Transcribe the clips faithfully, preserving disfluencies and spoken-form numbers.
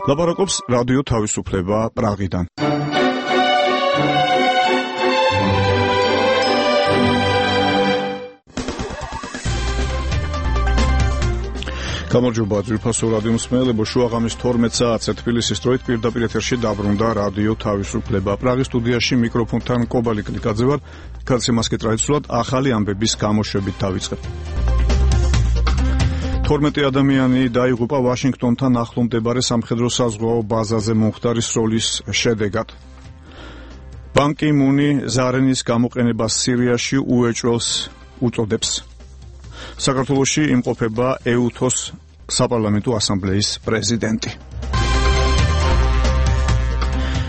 ლაპარაკობს რადიო თავისუფლება პრაღიდან. გამარჯობა ძვირფასო რადიო მსმენელებო, შუაღამის თორმეტ საათზე თბილისის დროით პირდაპირ ეთერში დაბრუნდა რადიო თავისუფლება. პრაღის სტუდიაში მიკროფონთან კობალი კლიკაძე ვარ. გადაცემას კი ტრადიციულად ახალი ამბების გამოშვებით დავიწყებ. თორმეტი ადამიანი დაიღუპა ვაშინგტონთან ახლო მდებარე სამხედრო საზღვაო ბაზაზე მომხდარი სროლის შედეგად. ბან კი მუნი ზარენის გამოყენებას სირიაში უეჭველს უწოდებს. საქართველოში იმყოფება ეუთოს საპარლამენტო ასამბლეის პრეზიდენტი.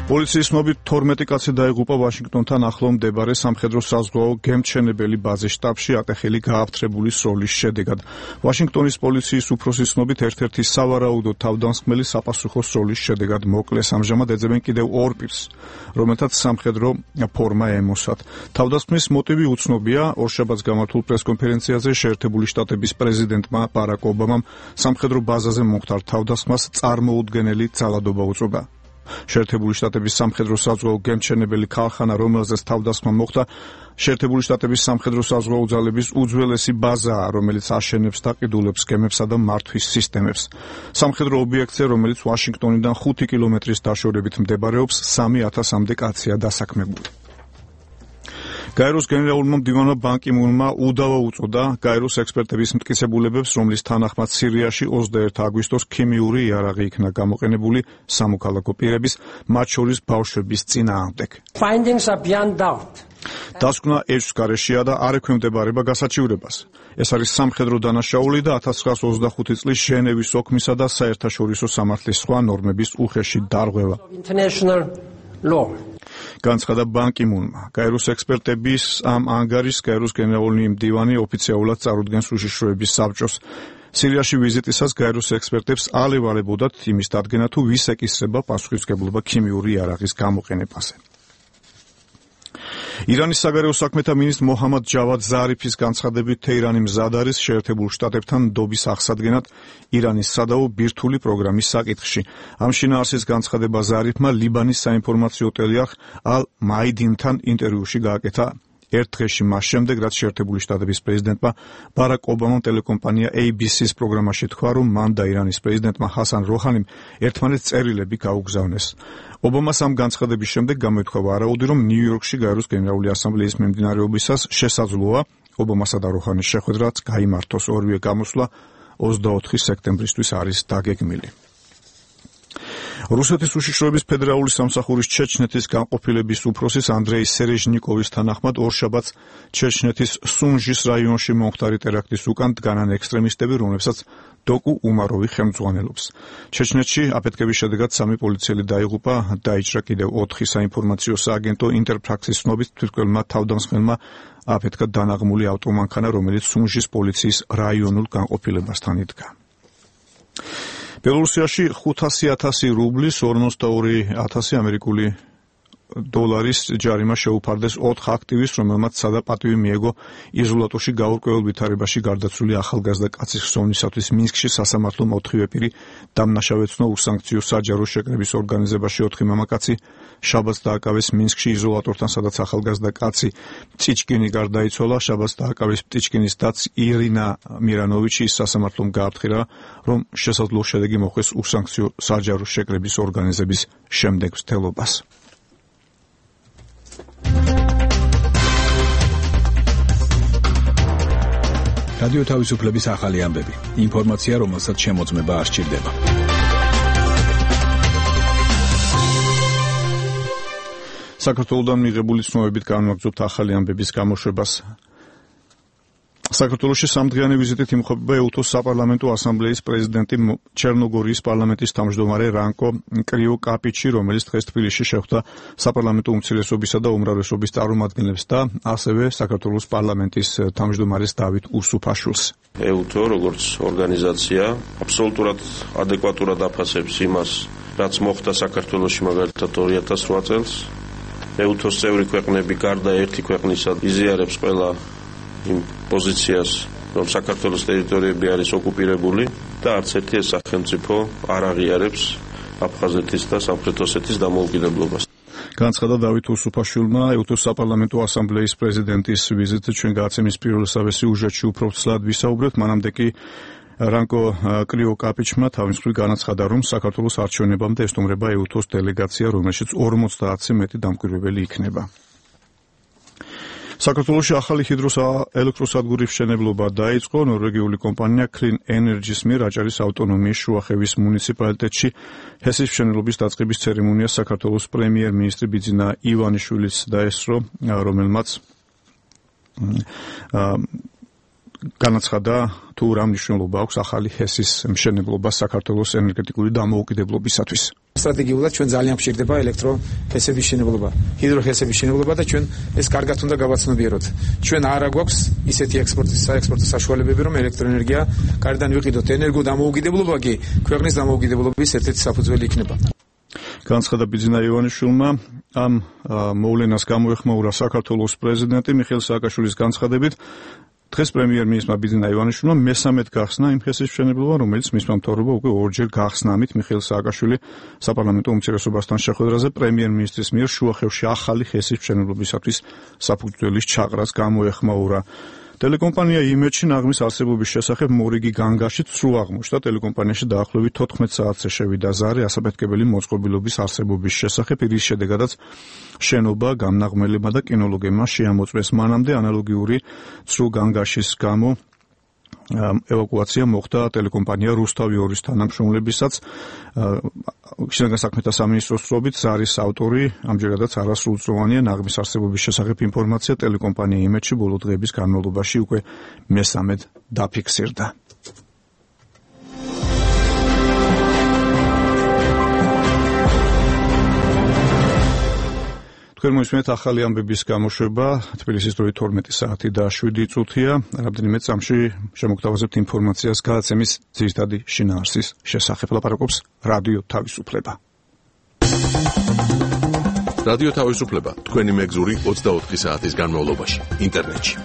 პოლიციის ცნობით თორმეტი კაცი დაიღუპა ვაშინგტონთან ახლო მდებარე სამხედრო საზღვაო გემთჩენებელი ბაზის შტაბში ატეხილი გააფთრებული სროლის შედეგად. ვაშინგტონის პოლიციის უფროსის ცნობით ერთ-ერთი სავარაუდო თავდამსხმელი საპასუხო სროლის შედეგად მოკლეს. ამჟამად ეძებენ კიდევ ორ პირს, რომელთაც სამხედრო ფორმა ემოსათ. თავდასხმის მოტივი უცნობია. ორშაბათს გამართულ პრესკონფერენციაზე შეერთებული შტატების პრეზიდენტმა ბარაკ ობამამ სამხედრო ბაზაზე მომხდარ თავდასხმას წარმოუდგენელი ძალადობა უწოდა. შეერთებული შტატების სამხედრო საზღვაო გემთჩენებელი ქარხანა, რომელზეც თავდასხმა მოხდა, შეერთებული შტატების სამხედრო საზღვაო ძალების უძველესი ბაზაა, რომელიც აშენებს და ყიდულებს გემებსა და მართვის სისტემებს. სამხედრო ობიექტზე, რომელიც ვაშინგტონიდან ხუთი კილომეტრის დაშორებით მდებარეობს, სამი ათასამდე კაცია დასაქმებული. გაეროს გენერალურმა მდივანმა ბან კი მუნმა უდავა უწოდა გაეროს ექსპერტების მტკიცებულებებს, რომლის თანახმად სირიაში ოცდაერთი აგვისტოს ქიმიური იარაღი იქნა გამოყენებული სამოქალაქო პირების, მათ შორის ბავშვების წინააღმდეგ. დასკვნა ეჭვს გარეშეა და არ ექვემდებარება გასაჩივრებას. ეს არის სამხედრო დანაშაული და ათას ცხრაასი ოცდახუთი წლის ჟენევის ოქმისა და საერთაშორისო სამართლის სხვა ნორმების უხეში დარღვევა. განცხადა ბან კი მუნმა. გაეროს ექსპერტების ამ ანგარიშს გაეროს გენერალური მდივანი ოფიციალურად წარუდგენს უშიშროების საბჭოს. სირიაში ვიზიტისას გაეროს ექსპერტებს ალევალებოდათ იმის დადგენა, თუ ვის ეკისრება პასუხისმგებლობა ქიმიური იარაღის გამოყენებაზე. ირანის საგარეო საქმეთა მინისტრ მოჰამად ჯავად ზარიფის განცხადებით, თეირანი მზად არის შეერთებულ შტატებთან ნდობის აღსადგენად ირანის სადაო ბირთვული პროგრამის საკითხში. ამ შინაარსის განცხადება ზარიფმა ლიბანის საინფორმაციო ტელეარხ ალ მაიდინთან ინტერვიუში გააკეთა ერთ დღეში მას შემდეგ, რაც შეერთებული შტატების პრეზიდენტმა ბარაკ ობამამ ტელეკომპანია ეი ბი სის პროგრამაში თქვა, რომ მან და ირანის პრეზიდენტმა ჰასან როჰანიმ ერთმანეთს წერილები გაუგზავნეს. ობამას ამ განცხადების შემდეგ გამოითქვა ვარაუდი, რომ ნიუ-იორკში გაეროს გენერალური ასამბლეის მიმდინარეობისას შესაძლოა ობამასა და როჰანის შეხვედრაც გაიმართოს. ორივე გამოსვლა ოცდაოთხი სექტემბრისთვის არის დაგეგმილი. რუსეთის უშიშროების ფედერალური სამსახურის ჩეჩნეთის განყოფილების უფროსის ანდრეი სერეჟნიკოვის თანახმად ორშაბათს ჩეჩნეთის სუნჟის რაიონში მომხდარი ტერაქტის უკან დგანან ექსტრემისტები, რომლებსაც დოკუ უმაროვი ხელმძღვანელობს. ჩეჩნეთში აფეთქების შედეგად სამი პოლიციელი დაიღუპა, დაიჭრა კიდევ ოთხი საინფორმაციო სააგენტო. ინტერფაქსის ცნობით თვითმკვლელმა თავდამსხმელმა აფეთქა დანაღმული ავტომანქანა, რომელიც სუნჟის პოლიციის რაიონულ განყოფილებასთან იდგა. ბელორუსიაში ხუთასი ათასი რუბლის ორმოცდაორი ათასი ამერიკული დოლარის ჯარიმა შეუფარდეს ოთხ აქტივისტს, რომელმაც სადაპატივი მიეგო იზოლატორში გაურკვეველ ვითარებაში გარდაცვლილი ახალგაზრდა კაცის ხსოვნისათვის მინსკში სასამართლომ ოთხივე პირი დამნაშავეცნო უსანქციო საჯარო შეკრების ორგანიზებაში. ოთხი მამაკაცი შაბათს დააკავეს მინსკში იზოლატორთან, სადაც ახალგაზრდა კაცი პტიჩკინი გარდაიცვალა. შაბათს დააკავეს პტიჩკინის დაც ირინა მირანოვიჩი. სასამართლომ გააფრთხილა, რომ შესაძლოა შედეგი მოხვდეს უსანქციო საჯარო შეკრების ორგანიზების შემდეგ მცდელობას. რადიო თავისუფლების ახალი ამბები. ინფორმაცია, რომელსაც შემოწმება არ სჭირდება. საქართველოდან მიღებული ცნობებით განვაგრძობთ ახალი ამბების გამოშვებას. საქართველოში სამდღიანი ვიზიტით იმყოფება ეუთოს საპარლამენტო ასამბლეის პრეზიდენტი ჩერნოგორიის პარლამენტის თავმჯდომარე რანკო კრიოკაპიჩი, რომელიც დღეს თბილისში შეხვდა საპარლამენტო უმცირესობისა და უმრავლესობის წარმომადგენლებს და ასევე საქართველოს პარლამენტის თავმჯდომარეს დავით უსუფაშვილს. ეუთო, როგორც ორგანიზაცია, აბსოლუტურად ადეკვატურად აფასებს იმას, რაც მოხდა საქართველოში მაგალითად ორი ათას რვა წელს. ეუთოს წევრი ქვეყნები გარდა ერთი ქვეყნისა იზიარებს ყველა იმ პოზიციას, რომ საქართველოს ტერიტორიები არის ოკუპირებული და არც ერთი სახელმწიფო არ აღიარებს აფხაზეთის და სამხრეთ ოსეთის დამოუკიდებლობას. განცხადა დავით უსუფაშვილმა ეუთოს საპარლამენტო ასამბლეის პრეზიდენტის ვიზიტზე ჩვენ გადაცემის პირველ სიუჟეტში უფრო ცლად ვისაუბრებთ, მანამდე კი რანკო კრიოკაპიჩმა თავის მხრივ განაცხადა, რომ საქართველოს არჩევნებამდე ესტუმრება ეუთოს დელეგაცია, რომელშიც ორმოცდაათზე მეტი დამკვირვებელი იქნება. საქართველოში ახალი ჰიდროელექტროსადგურის მშენებლობა დაიწყო. ნორვეგიული კომპანია Clean Energy-ს მიერ აჭარის ავტონომიის შუახევის მუნიციპალიტეტში ჰესის მშენებლობის დაწყების ცერემონიას საქართველოს პრემიერ-მინისტრი ბიძინა ივანიშვილიც დაესწრო, რომელმაც განაცხადა თუ რა მნიშვნელობა აქვს ახალი ჰესის მშენებლობა საქართველოს ენერგეტიკული დამოუკიდებლობისათვის. სტრატეგიულად ჩვენ ძალიან გვჭირდება ელექტროჰესების მშენებლობა, ჰიდროჰესების მშენებლობა და ჩვენ ეს კარგად უნდა გავაცნობიეროთ. ჩვენ არა გვაქვს ისეთი ექსპორტის საექსპორტო საშუალებები, რომ ელექტროენერგია გარედან ვიყიდოთ. ენერგო დამოუკიდებლობა კი ქვეყნის დამოუკიდებლობის ერთ-ერთი საფუძველი იქნება. განცხადა ბიძინა ივანიშვილმა, ამ მოვლენას გამოეხმაურა საქართველოს პრეზიდენტი მიხეილ სააკაშვილის განცხადებით. დღეს პრემიერ-მინისტრმა ბიძინა ივანიშვილმა მესამედ გახსნა იმ ჰესის მშენებლობა, რომელიც მისმა მთავრობა უკვე ორჯერ გახსნა. ამით მიხეილ სააკაშვილი საპარლამენტო უმცირესობასთან შეხვედრაზე პრემიერ-მინისტრის მიერ შუახევში ახალი ჰესის მშენებლობისათვის საფუძველის ჩაყრას გამოეხმაურა. ტელეკომპანია იმედში ნაღმის არსებობის შესახებ მორიგი განგაშით სრულ აღმოჩნდა. ტელეკომპანიაში დაახლოებით თოთხმეტ საათზე შევიდა ზარი ასაფეთქებელი მოწყობილობის არსებობის შესახებ, რის შედეგადაც შენობა გამნაღმელებმა და კინოლოგებმა შეამოწმეს. მანამდე ანალოგიური სრულ განგაშის გამო ევაკუაცია მოხდა ტელეკომპანია რუსთავი ორის თანამშრომლებისაც. შინაგან საქმეთა სამინისტროს წრობით ზარის ავტორი ამჯერადაც არასრულწლოვანია. ნაღმის არსებობის შესახებ ინფორმაცია ტელეკომპანია იმედში ბოლო დღეების განმავლობაში უკვე მესამედ დაფიქსირდა. თქვენ მოისმენთ ახალი ამბების გამოშვება. თბილისის დროით თორმეტი საათი და შვიდი წუთია. რამდენიმე წამში შემოგთავაზებთ ინფორმაციას გადაცემის ძირითადი შინაარსის შესახებ. ლაპარაკობს რადიო თავისუფლება. რადიო თავისუფლება თქვენი მეგზური ოცდაოთხი საათის განმავლობაში ინტერნეტში.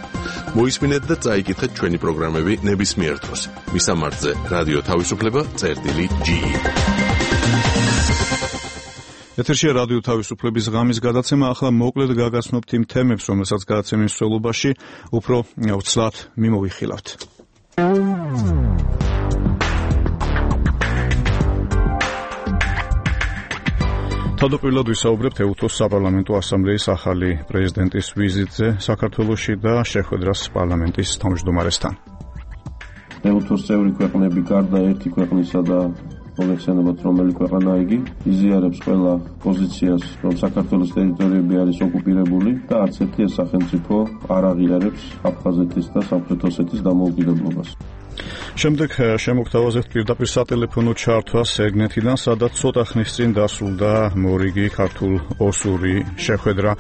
მოისმინეთ და წაიკითხეთ ჩვენი პროგრამები ნებისმიერ დროს. მისამართზე რადიო თავისუფლება წერტილი ჯი. ეთერშია რადიო თავისუფლების ღამის გადაცემა. ახლა მოკლედ გაგაცნობთ იმ თემებს, რომელსაც გადაცემის მსვლელობაში უფრო ვცლად მიმოვიხილავთ. თავდაპირველად ვისაუბრებთ ეუთოს საპარლამენტო ასამბლეის ახალი პრეზიდენტის ვიზიტზე საქართველოში და შეხვედრას პარლამენტის თავმჯდომარესთან. ეუთოს წევრი ქვეყნები გარდა ერთი ქვეყნისა და მოგეხსენებათ, რომელი ქვეყანა იგი იზიარებს ყველა პოზიციას, რომ საქართველოს ტერიტორიები არის ოკუპირებული და არც ერთი სახელმწიფო არ აღიარებს აფხაზეთის და სამხრეთ ოსეთის დამოუკიდებლობას. შემდეგ შემოგთავაზებთ პირდაპირ სატელეფონო ჩართვას ეგნეთიდან, სადაც ცოტა ხნის წინ დასრულდა მორიგი ქართულ-ოსური შეხვედრა.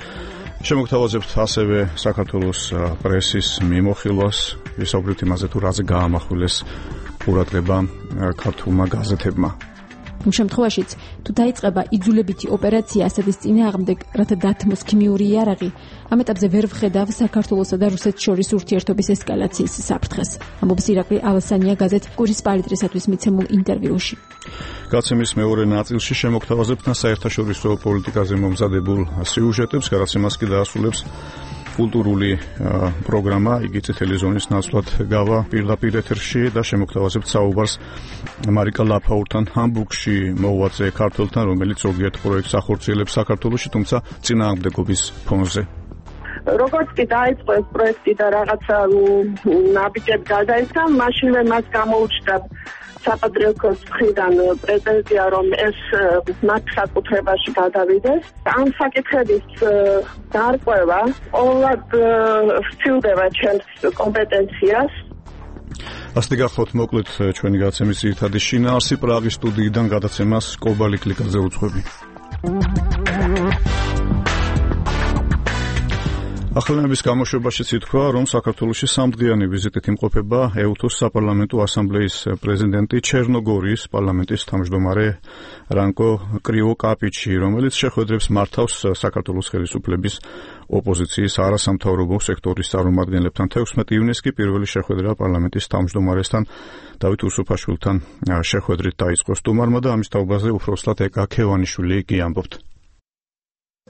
შემოგთავაზებთ ასევე საქართველოს პრესის მიმოხილვას, ვისაუბრებთ იმაზე, თუ რაზე გაამახვილეს ყურადღება ქართულმა გაზეთებმა. იმ შემთხვევაშიც, თუ დაიწყება იძულებითი ოპერაცია ასეთის წინააღმდეგ, რათა დათმოს ქიმიური იარაღი, ამ ეტაპზე ვერ ვხედავ საქართველოსა და რუსეთს შორის ურთიერთობის ესკალაციის საფრთხეს. ამბობს ირაკლი ალსანია გაზეთ კურის პალიტრისათვის მიცემულ ინტერვიუში. გადაცემის მეორე ნაწილში შემოგთავაზებთ საერთაშორისო პოლიტიკაზე მომზადებულ სიუჟეტებს, გადაცემას კი დაასრულებს კულტურული პროგრამა, იგი წითელი ზონის ნაცვლად გავა პირდაპირ ეთერში და შემოგთავაზებთ საუბარს მარიკა ლაფაურთან ჰამბურგში მოღვაწე ქართველთან, რომელიც ზოგიერთ პროექტს ახორციელებს საქართველოში, თუმცა წინააღმდეგობის ფონზე. როგორც კი დაიწყო ეს პროექტი და რაღაცა ნაბიჯები გადაიცა, მაშინვე მას გამოუჩნდა საპატრიარქოს მხრიდან პრეტენზია, რომ ეს მათ საკუთრებაში გადავიდეს. ამ საკითხების გარკვევა ყოველად ვცილდება ჩემს კომპეტენციას. ასე გახლავთ მოკლედ ჩვენი გადაცემის ძირითადი შინაარსი. პრაღის სტუდიიდან გადაცემას კობალი კლიკაძე უძღვები. ახალგაზრდების გამოშვებაშიც ითქვა, რომ საქართველოში სამდღიანი ვიზიტით იმყოფება ეუთოს საპარლამენტო ასამბლეის პრეზიდენტი ჩერნოგორიის პარლამენტის თავმჯდომარე რანკო კრივოკაპიჩი, რომელიც შეხვედრებს მართავს საქართველოს ხელისუფლების ოპოზიციის არასამთავრობო სექტორის წარმომადგენლებთან. თექვსმეტი ივნისს კი პირველი შეხვედრა პარლამენტის თავმჯდომარესთან დავით უსუფაშვილთან შეხვედრით დაიწყო სტუმარმა და ამის თაობაზე უფროსლად ეკა ქევანიშვილი კი ამბობთ.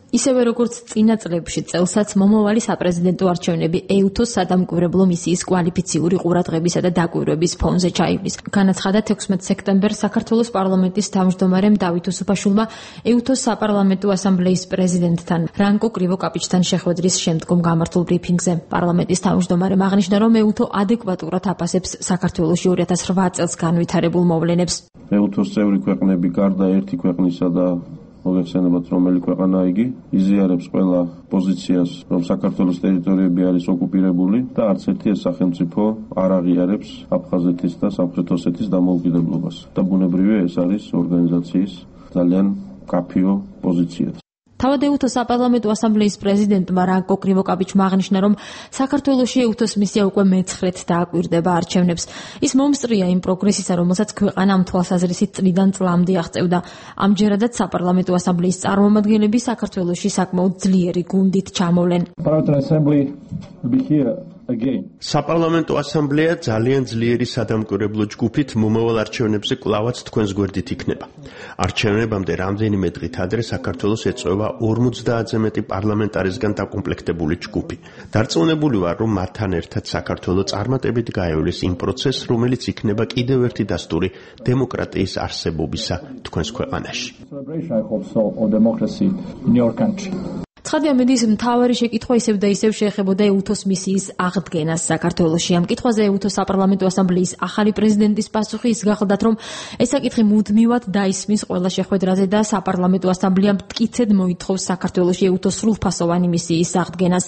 ისევე როგორც წინა წლებში წელსაც მომავალი საპრეზიდენტო არჩევნები ეუთოს სადამკვირვებლო მისიის კვალიფიციური ყურადღებისა და დაკვირვების ფონზე ჩაივლის. განაცხადა თექვსმეტ სექტემბერს საქართველოს პარლამენტის თავმჯდომარემ დავით უსუფაშვილმა ეუთოს საპარლამენტო ასამბლეის პრეზიდენტთან რანკო კრივოკაპიჩთან შეხვედრის შემდგომ გამართულ ბრიფინგზე. პარლამენტის თავმჯდომარემ აღნიშნა, რომ ეუთო ადეკვატურად აფასებს საქართველოში ორი ათას რვა წელს განვითარებულ მოვლენებს. ეუთოს წევრი ქვეყნები გარდა ერთი ქვეყნისა და მოგეხსენებათ, რომელი ქვეყანა იგი იზიარებს ყველა პოზიციას, რომ საქართველოს ტერიტორიები არის ოკუპირებული და არც ერთი ეს სახელმწიფო არ აღიარებს აფხაზეთის და სამხრეთ ოსეთის დამოუკიდებლობას. და ბუნებრივია ეს არის ორგანიზაციის ძალიან კაფიო პოზიცია. თავად ეუთოს საპარლამენტო ასამბლეის პრეზიდენტმა რანკო კრივოკაპიჩმა აღნიშნა, რომ საქართველოში ეუთოს მისია უკვე მეცხრედ დააკვირდება არჩევნებს. ის მომსწრია იმ პროგრესისა, რომელსაც ქვეყანა ამ თვალსაზრისით წლიდან წლამდე აღწევდა. ამჯერადაც საპარლამენტო ასამბლეის წარმომადგენლები საქართველოში საკმაოდ ძლიერი გუნდით ჩამოვლენ. საპარლამენტო ასამბლეა ძალიან ძლიერი სადამკვირვებლო ჯგუფით მომავალ არჩევნებზე კვლავაც თქვენს გვერდით იქნება. არჩევნებამდე რამდენიმე დღით ადრე საქართველოს ეწევა ორმოცდაათზე მეტი პარლამენტარისგან დაკომპლექტებული ჯგუფი. დარწმუნებული ვარ, რომ მათთან ერთად საქართველო წარმატებით გაევლეს იმ პროცესს, რომელიც იქნება კიდევ ერთი დასტური დემოკრატიის არსებობისა თქვენს ქვეყანაში. ცხადია, მედის მთავარი შეკითხვა ისევ და ისევ შეეხებოდა ეუთოს მისიის აღდგენას საქართველოში. ამ კითხვაზე ეუთოს საპარლამენტო ასამბლეის ახალი პრეზიდენტის პასუხი ის გახლდათ, რომ ეს საკითხი მუდმივად დაისმის ყველა შეხვედრაზე და საპარლამენტო ასამბლეამ მტკიცედ მოითხოვს საქართველოში ეუთოს სრულფასოვანი მისიის აღდგენას.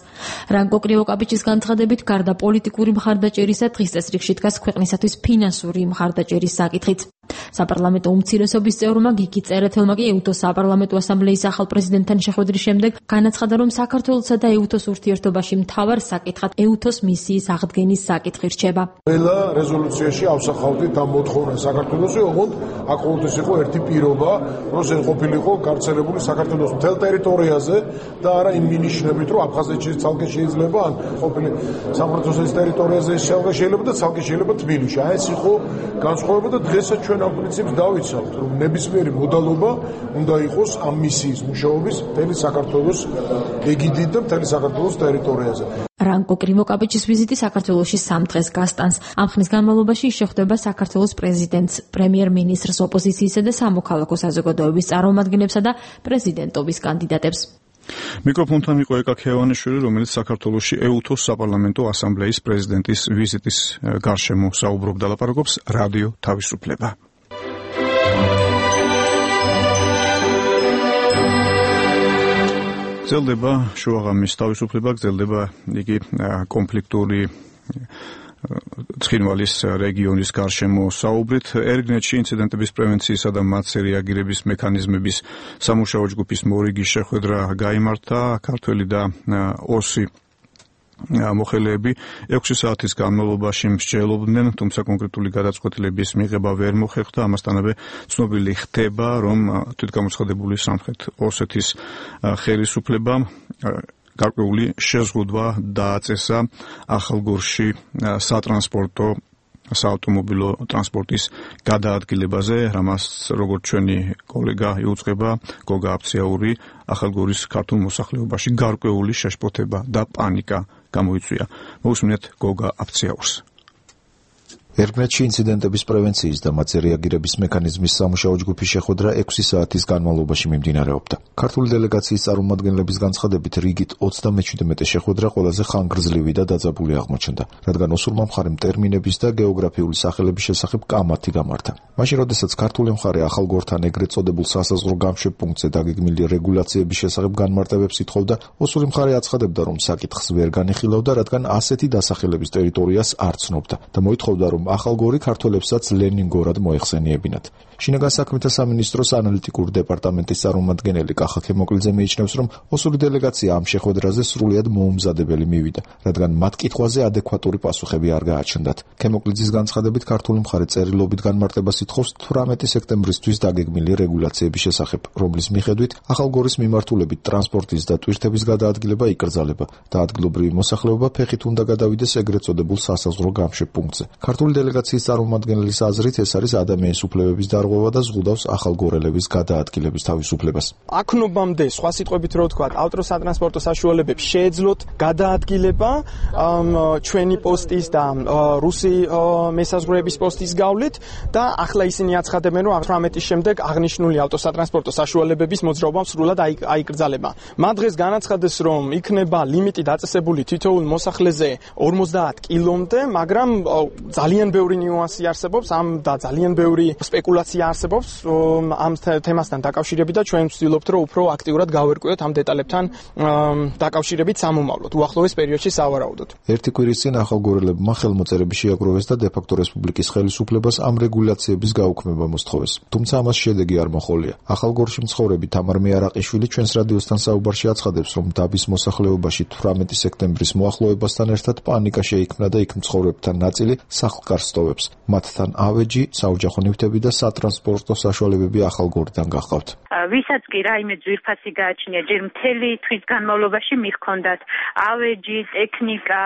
რანკო კრივოკაპიჩის განცხადებით, გარდა პოლიტიკური მხარდაჭერისა, დღის წესრიგში დგას ქვეყნისათვის ფინანსური მხარდაჭერის საკითხით. საპარლამენტო უმცირესობის წევრმა გიგი წერეთელმა კი ეუთოს საპარლამენტო ასამბლეის ახალ პრეზიდენტთან შეხვედრის შემდეგ განაცხადა, რომ საქართველოსა და ეუთოს ურთიერთობაში მთავარ საკითხად ეუთოს მისიის აღდგენის საკითხი რჩება. ყველა რეზოლუციაში ავსახავდით ამ მოთხოვნას საქართველოში, ოღონდ აქ ყოველთვის იყო ერთი პირობა, რომ ეს ყოფილიყო გავრცელებული საქართველოს მთელ ტერიტორიაზე და არა იმ მინიშნებით, რომ აფხაზეთში ცალკე შეიძლება, ან ყოფილი სამხრეთ ოსეთის ტერიტორიაზე ცალკე შეიძლება და ცალკე შეიძლება თბილისში. აი ეს იყო განსხვავება და დღესაც ჩვენ ამ პრინციპს დავიცავთ, რომ ნებისმიერი მოდალობა უნდა იყოს ამ მისიის მუშაობის მთელი საქართველოს ეგიდით და მთელი საქართველოს ტერიტორიაზე. რანკო კრივოკაპიჩის ვიზიტი საქართველოში სამ დღეს გასტანს. ამ ხნის განმავლობაში ის შეხვდება საქართველოს პრეზიდენტს, პრემიერ-მინისტრს, ოპოზიციისა და სამოქალაქო საზოგადოების წარმომადგენლებსა და პრეზიდენტობის კანდიდატებს. მიკროფონთან იყო ეკა ქევანიშვილი, რომელიც საქართველოში ეუთოს საპარლამენტო ასამბლეის პრეზიდენტის ვიზიტის გარშემო საუბრობდა, ლაპარაკობს რადიო თავისუფლება. გრძელდება შუაღამის თავისუფლება, გრძელდება იგი კონფლიქტური ცხინვალის რეგიონის გარშემო საუბრით. ერგნეტში ინციდენტების პრევენციისა და მათზე რეაგირების მექანიზმების სამუშაო ჯგუფის მორიგის შეხვედრა გაიმართა. ქართველი და ოსი მოხელეები ექვსი საათის განმავლობაში მსჯელობდნენ, თუმცა კონკრეტული გადაწყვეტილების მიღება ვერ მოხერხდა. ამასთანავე ცნობილი ხდება, რომ თვითგამოცხადებული სამხრეთ ოსეთის ხელისუფლებამ გარკვეული შეზღუდვა დააწესა ახალგორში სატრანსპორტო საავტომობილო ტრანსპორტის გადაადგილებაზე, რამაც როგორც ჩვენი კოლეგა იუწყება გოგა აფციაური, ახალგორის ქართულ მოსახლეობაში გარკვეული შეშფოთება და პანიკა გამოიწვია. მოусმინეთ გოგა აფციაურს. ერგნეტში ინციდენტების პრევენციის და მათზე რეაგირების მექანიზმის სამუშაო ჯგუფის შეხვედრა ექვსი საათის განმავლობაში მიმდინარეობდა. ქართული დელეგაციის წარმომადგენლების განცხადებით, რიგით ოცდამეჩვიდმეტე შეხვედრა ყველაზე ხანგრძლივი და დაძაბული აღმოჩნდა, რადგან ოსურმა მხარემ ტერმინების და გეოგრაფიული სახელების შესახებ კამათი გამართა. მაშინ, როდესაც ქართული მხარე ახალგორთან ეგრეთ წოდებულ სასაზღვრო გამშვებ პუნქტზე დაგეგმილი რეგულაციების შესახებ განმარტებებს ითხოვდა, ოსური მხარე აცხადებდა, რომ საკითხს ვერ განიხილავდა, რადგან ასეთი დასახელების ტერიტორიას არ ცნობდა და მოითხოვდა, რომ ახალ გორი ქართველებსაც ლენინგორად მოეხსენიებინათ. შინაგან საქმეთა სამინისტროს ანალიტიკური დეპარტამენტის წარმომადგენელი კახა ქემოკლიძე მიიჩნევს, რომ ოსური დელეგაცია ამ შეხვედრაზე სრულიად მოუმზადებელი მივიდა, რადგან მათ კითხვაზე ადეკვატური პასუხები არ გააჩნდათ. ქემოკლიძის განცხადებით ქართული მხარე წერილობით განმარტებას ითხოვს თვრამეტი სექტემბრისთვის დაგეგმილი რეგულაციების შესახებ, რომლის მიხედვით ახალ გორის მიმართულებით ტრანსპორტის და ტვირთების გადაადგილება იკრძალება და ადგილობრივი მოსახლეობა ფეხით უნდა გადავიდეს ეგრეთ წოდებულ სასაზღვრო გამშვებ პუნქტზე. ქართული დელეგაციის წარმომადგენლის აზრით ეს არის ადამიანის უფლებების დარღვევა და ზღუდავს ახალგორელების გადაადგილების თავისუფლებას. აქნობამდე სხვა სიტყვებით რო ვთქვა, ავტოსატრანსპორტო საშუალებებს შეეძლოთ გადაადგილება ჩვენი პოსტის და რუსი მესაზღვრეების პოსტის გავლით და ახლა ისინი აცხადებენ, რომ თვრამეტის შემდეგ აღნიშნული ავტოსატრანსპორტო საშუალებების მოძრაობა სრულად აიკრძალება. მათ დღეს განაცხადეს, რომ იქნება ლიმიტი დაწესებული თითოეულ მოსახლეზე ორმოცდაათ კილომდე, მაგრამ ძალიან ბევრი ნიუანსი არსებობს ამ და ძალიან ბევრი სპეკულაცია არსებობს ამ თემასთან დაკავშირებით და ჩვენ ვცდილობთ, რომ უფრო აქტიურად გავერკვიოთ ამ დეტალებთან დაკავშირებით სამომავლოდ, უახლოეს პერიოდში სავარაუდოდ. ერთი კვირის წინ ახალგორელებმა ხელმოწერები შეაგროვეს და დე-ფაქტო რესპუბლიკის ხელისუფლებას ამ რეგულაციების გაუქმება მოსთხოვეს. თუმცა ამას შედეგი არ მოჰყოლია. ახალგორში მცხოვრები თამარ მეარაყიშვილი ჩვენს რადიოსთან საუბარში აცხადებს, რომ დაბის მოსახლეობაში თვრამეტი სექტემბრის მოახლოებასთან ერთად პანიკა შეიქმნა და იქ მცხოვრებთან ნაწილი სახლ-კარს სტოვებს. მათთან ავეჯი, საოჯახო ნივთები და სატრანსპორტო საშუალებები ახალგორიდან გაჰყავთ. ვისაც კი რაიმე ძვირფასი გააჩნია, ჯერ მთელი თვის განმავლობაში მიჰქონდათ ავეჯი, ტექნიკა,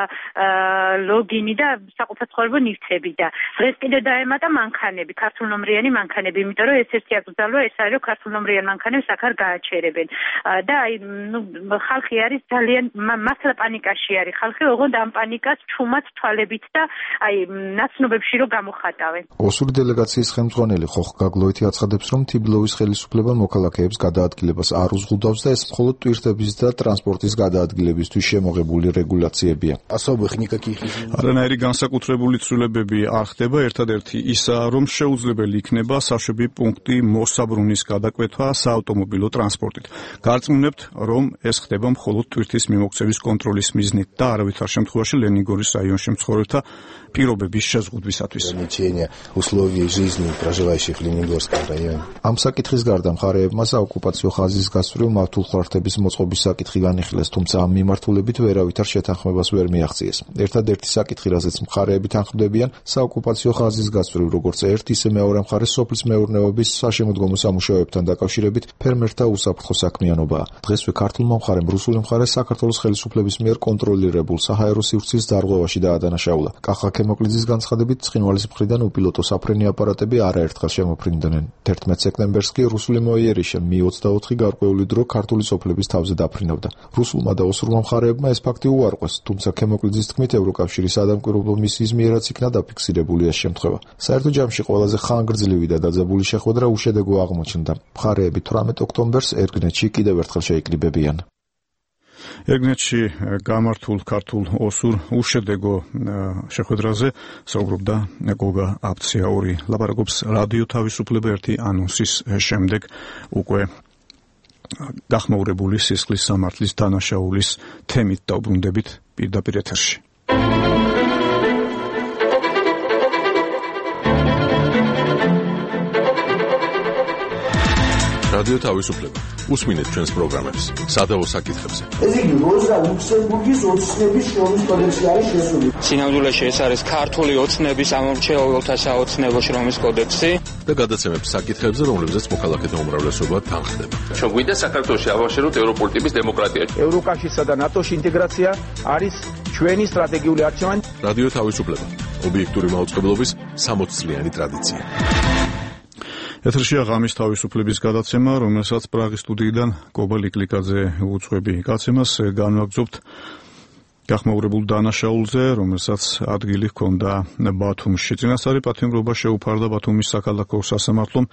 ლოგინი და საყოფაცხოვრებო ნივთები და დღეს კიდე დაემატა მანქანები, ქართულნომრიანი მანქანები, იმიტომ რომ ეს ერთი აკრძალვა ეს არის, რომ ქართულნომრიან მანქანებს აქ არ გააჩერებენ. და აი, ნუ ხალხი არის ძალიან მასლა პანიკაში არის ხალხი, ოღონდ ამ პანიკას ჩუმად თვალებით და აი ნაცნობებში რომ გამოხატავენ. ოსური დელეგაციის ხელმძღვანელი ხოხ გაგლოეთი აცხადებს, რომ თიბილოვის ხელისუფლება მოქალაქეებს გადაადგილებას არ უზღუდავს და ეს მხოლოდ ტვირთების და ტრანსპორტის გადაადგილებისთვის შემოღებული რეგულაციებია. არანაირი განსაკუთრებული ცვლილებები არ ხდება, ერთადერთი ისაა, რომ შეუძლებელი იქნება საშვები პუნქტი მოსაბრუნის გადაკვეთვა საავტომობილო ტრანსპორტით. გარწმუნებთ, რომ ეს ხდება მხოლოდ ტვირთის მიმოქცევის კონტროლის მიზნით და არავითარ შემთხვევაში ლენინგორის რაიონში მცხოვრებთა პირობების შეზღუდვისათვის. ამ საკითხის გარდა მხარეებმა საოკუპაციო ხაზის გასწვრივ მავთულხმართების მოწყობის საკითხი განიხილეს, თუმცა ამ მიმართულებით ვერავითარ შეთანხმებას ვერ მიაღწიეს. ერთადერთი საკითხი, რაზეც მხარეები თანხმდებიან, საოკუპაციო ხაზის გასწვრივ როგორც ერთ, ისე მეორე მხარეს სოფლის მეურნეობის საშემოდგომო სამუშაოებთან დაკავშირებით ფერმერთა უსაფრთხო საქმიანობაა. დღესვე ქართულმა მხარემ რუსული მხარე საქართველოს ხელისუფლების მიერ კონტროლირებულ საჰაერო სივრცის დარღვევაში დაადანაშაულა. კახა ქემოკლიძის განცხადებით, ცხინვალის მხრიდან უპილოტო საფრენი აპარატები არაერთხელ შემოფრინდნენ. თერთმეტ სექტემბერს კი რუსული მოიერიშე მი ოცდაოთხი გარკვეული დრო ქართული სოფლების თავზე დაფრინავდა. რუსულმა და ოსურმა მხარეებმა ეს ფაქტი უარყვეს, თუმცა ქემოკლიძის თქმით ევროკავშირის სადამკვირვებლო მისიის მიერაც იქნა დაფიქსირებული ეს შემთხვევა. საერთო ჯამში ყველაზე ხანგრძლივი და დაძაბული შეხვედრა უშედეგო აღმოჩნდა. მხარეები თვრამეტ ოქტომბერს ერგნეთში კიდევ ერთხელ შეიკრიბებიან. ერგნეთში გამართულ ქართულ ოსურ უშედეგო შეხვედრაზე საუბრობდა გოგა აფციაური. ლაპარაკობს რადიო თავისუფლება ერთი ანონსის შემდეგ უკვე გახმაურებული სისხლის სამართლის დანაშაულის თემით დაუბრუნდებით პირდაპირ ეთერში. რადიო თავისუფლება. უსმინეთ ჩვენს პროგრამებს სადავო საკითხებზე. ეს იგი როზა ლუქსემბურგის ოცნების შრომის კოდექსში არის შესული. სინამდვილეში ეს არის ქართული ოცნების ამორჩეულთა საოცნებო შრომის კოდექსი და გადაცემებს საკითხებზე, რომლებზეც მოქალაქეთა უმრავლესობა თანხდება. ჩვენ გვინდა საქართველოში ავაშეროთ ევროპული ტიპის დემოკრატია. ევროკავშირსა და ნატოში ინტეგრაცია არის ჩვენი სტრატეგიული არჩევანი. რადიო თავისუფლება. ობიექტური მაუწყებლობის სამოც წლიანი ტრადიცია. ეთერშია ღამის თავისუფლების გადაცემა, რომელსაც პრაღის სტუდიიდან კობა ლიკლიკაძე უძღვები. გაცემას განვაგრძობთ გახმაურებულ დანაშაულზე, რომელსაც ადგილი ჰქონდა ბათუმში. წინასწარი პატიმრობა შეუფარდა ბათუმის საქალაქო სასამართლომ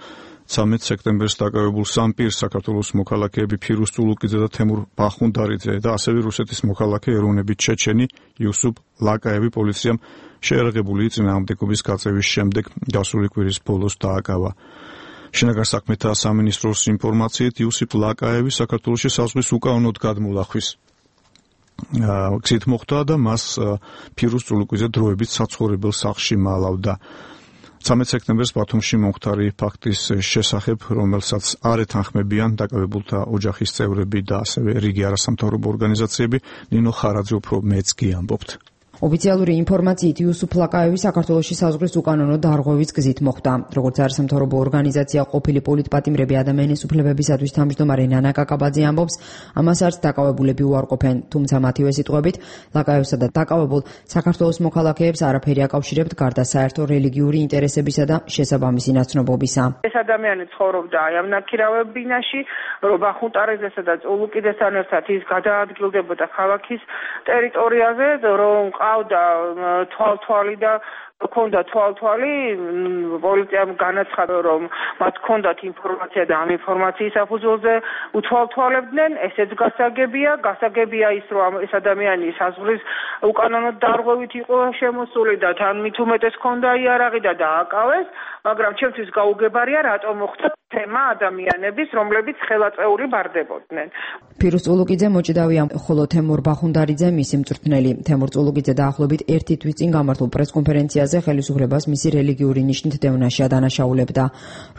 ცამეტ სექტემბერს დაკავებულ სამ პირს, საქართველოს მოქალაქეები ფირუზ წულუკიძე და თემურ ბახუნდარიძე და ასევე რუსეთის მოქალაქე ეროვნებით ჩეჩენი იუსუფ ლაკაევი პოლიციამ შეერაღებული წინააღმდეგობის გაწევის შემდეგ გასული კვირის ბოლოს დააკავა. შინაგან საქმეთა სამინისტროს ინფორმაციით იუსიფ ლაკაევი საქართველოში საზღვის უკანონოდ გადმულახვის გზით მოხვდა და მას ფირუზ წულუკიძე დროებით საცხოვრებელ სახლში მალავდა. ცამეტ სექტემბერს ბათუმში მომხდარი ფაქტის შესახებ, რომელსაც არ ეთანხმებიან დაკავებულთა ოჯახის წევრები და ასევე რიგი არასამთავრობო ორგანიზაციები, ნინო ხარაძე უფრო მეც კი ამბობთ. ოფიციალური ინფორმაციით იუსუფ ლაკაევი საქართველოში საზღვრის უკანონო დარღვევის გზით მოხვდა. როგორც არასამთავრობო ორგანიზაცია ყოფილი პოლიტპატიმრები ადამიანის უფლებებისათვის თავმჯდომარე ნანა კაკაბაძე ამბობს, ამას არც დაკავებულები უარყოფენ, თუმცა მათივე სიტყვებით ლაკაევსა და დაკავებულ საქართველოს მოქალაქეებს არაფერი აკავშირებთ გარდა საერთო რელიგიური ინტერესებისა და შესაბამისი ნაცნობობისა. ეს ადამიანი ცხოვრობდა აი ამ ნაქირავებინაში, რობა ხუტარეზესა და წულუკიძესთან ერთად ის გადაადგილდებოდა ქალაქის ტერიტორიაზე, რომ ყავდა თვალთვალი და ქონდა თვალთვალი, პოლიციამ განაცხადა, რომ მათ ქონდათ ინფორმაცია და ამ ინფორმაციის საფუძველზე უთვალთვალებდნენ, ესეც გასაგებია, გასაგებია ის, რომ ეს ადამიანი საზღვრის უკანონო დარღვევით იყო შემოსული და თან მით უმეტეს ქონდა იარაღი და დააკავეს, მაგრამ ჩემთვის გაუგებარია, რატომ მოხდა თემა ადამიანების, რომლებიც ხელაწეული ბარდებოდნენ. ფირუზ წულუკიძე მოჭიდავია, ხოლო თემურ ბახუნდარიძე მისი მწვრთნელი. თემურ წულუკიძე დაახლოებით ერთი თვის წინ გამართულ პრესკონფერენციაზე ხელისუფლებას მისი რელიგიური ნიშნით დევნაში ადანაშაულებდა.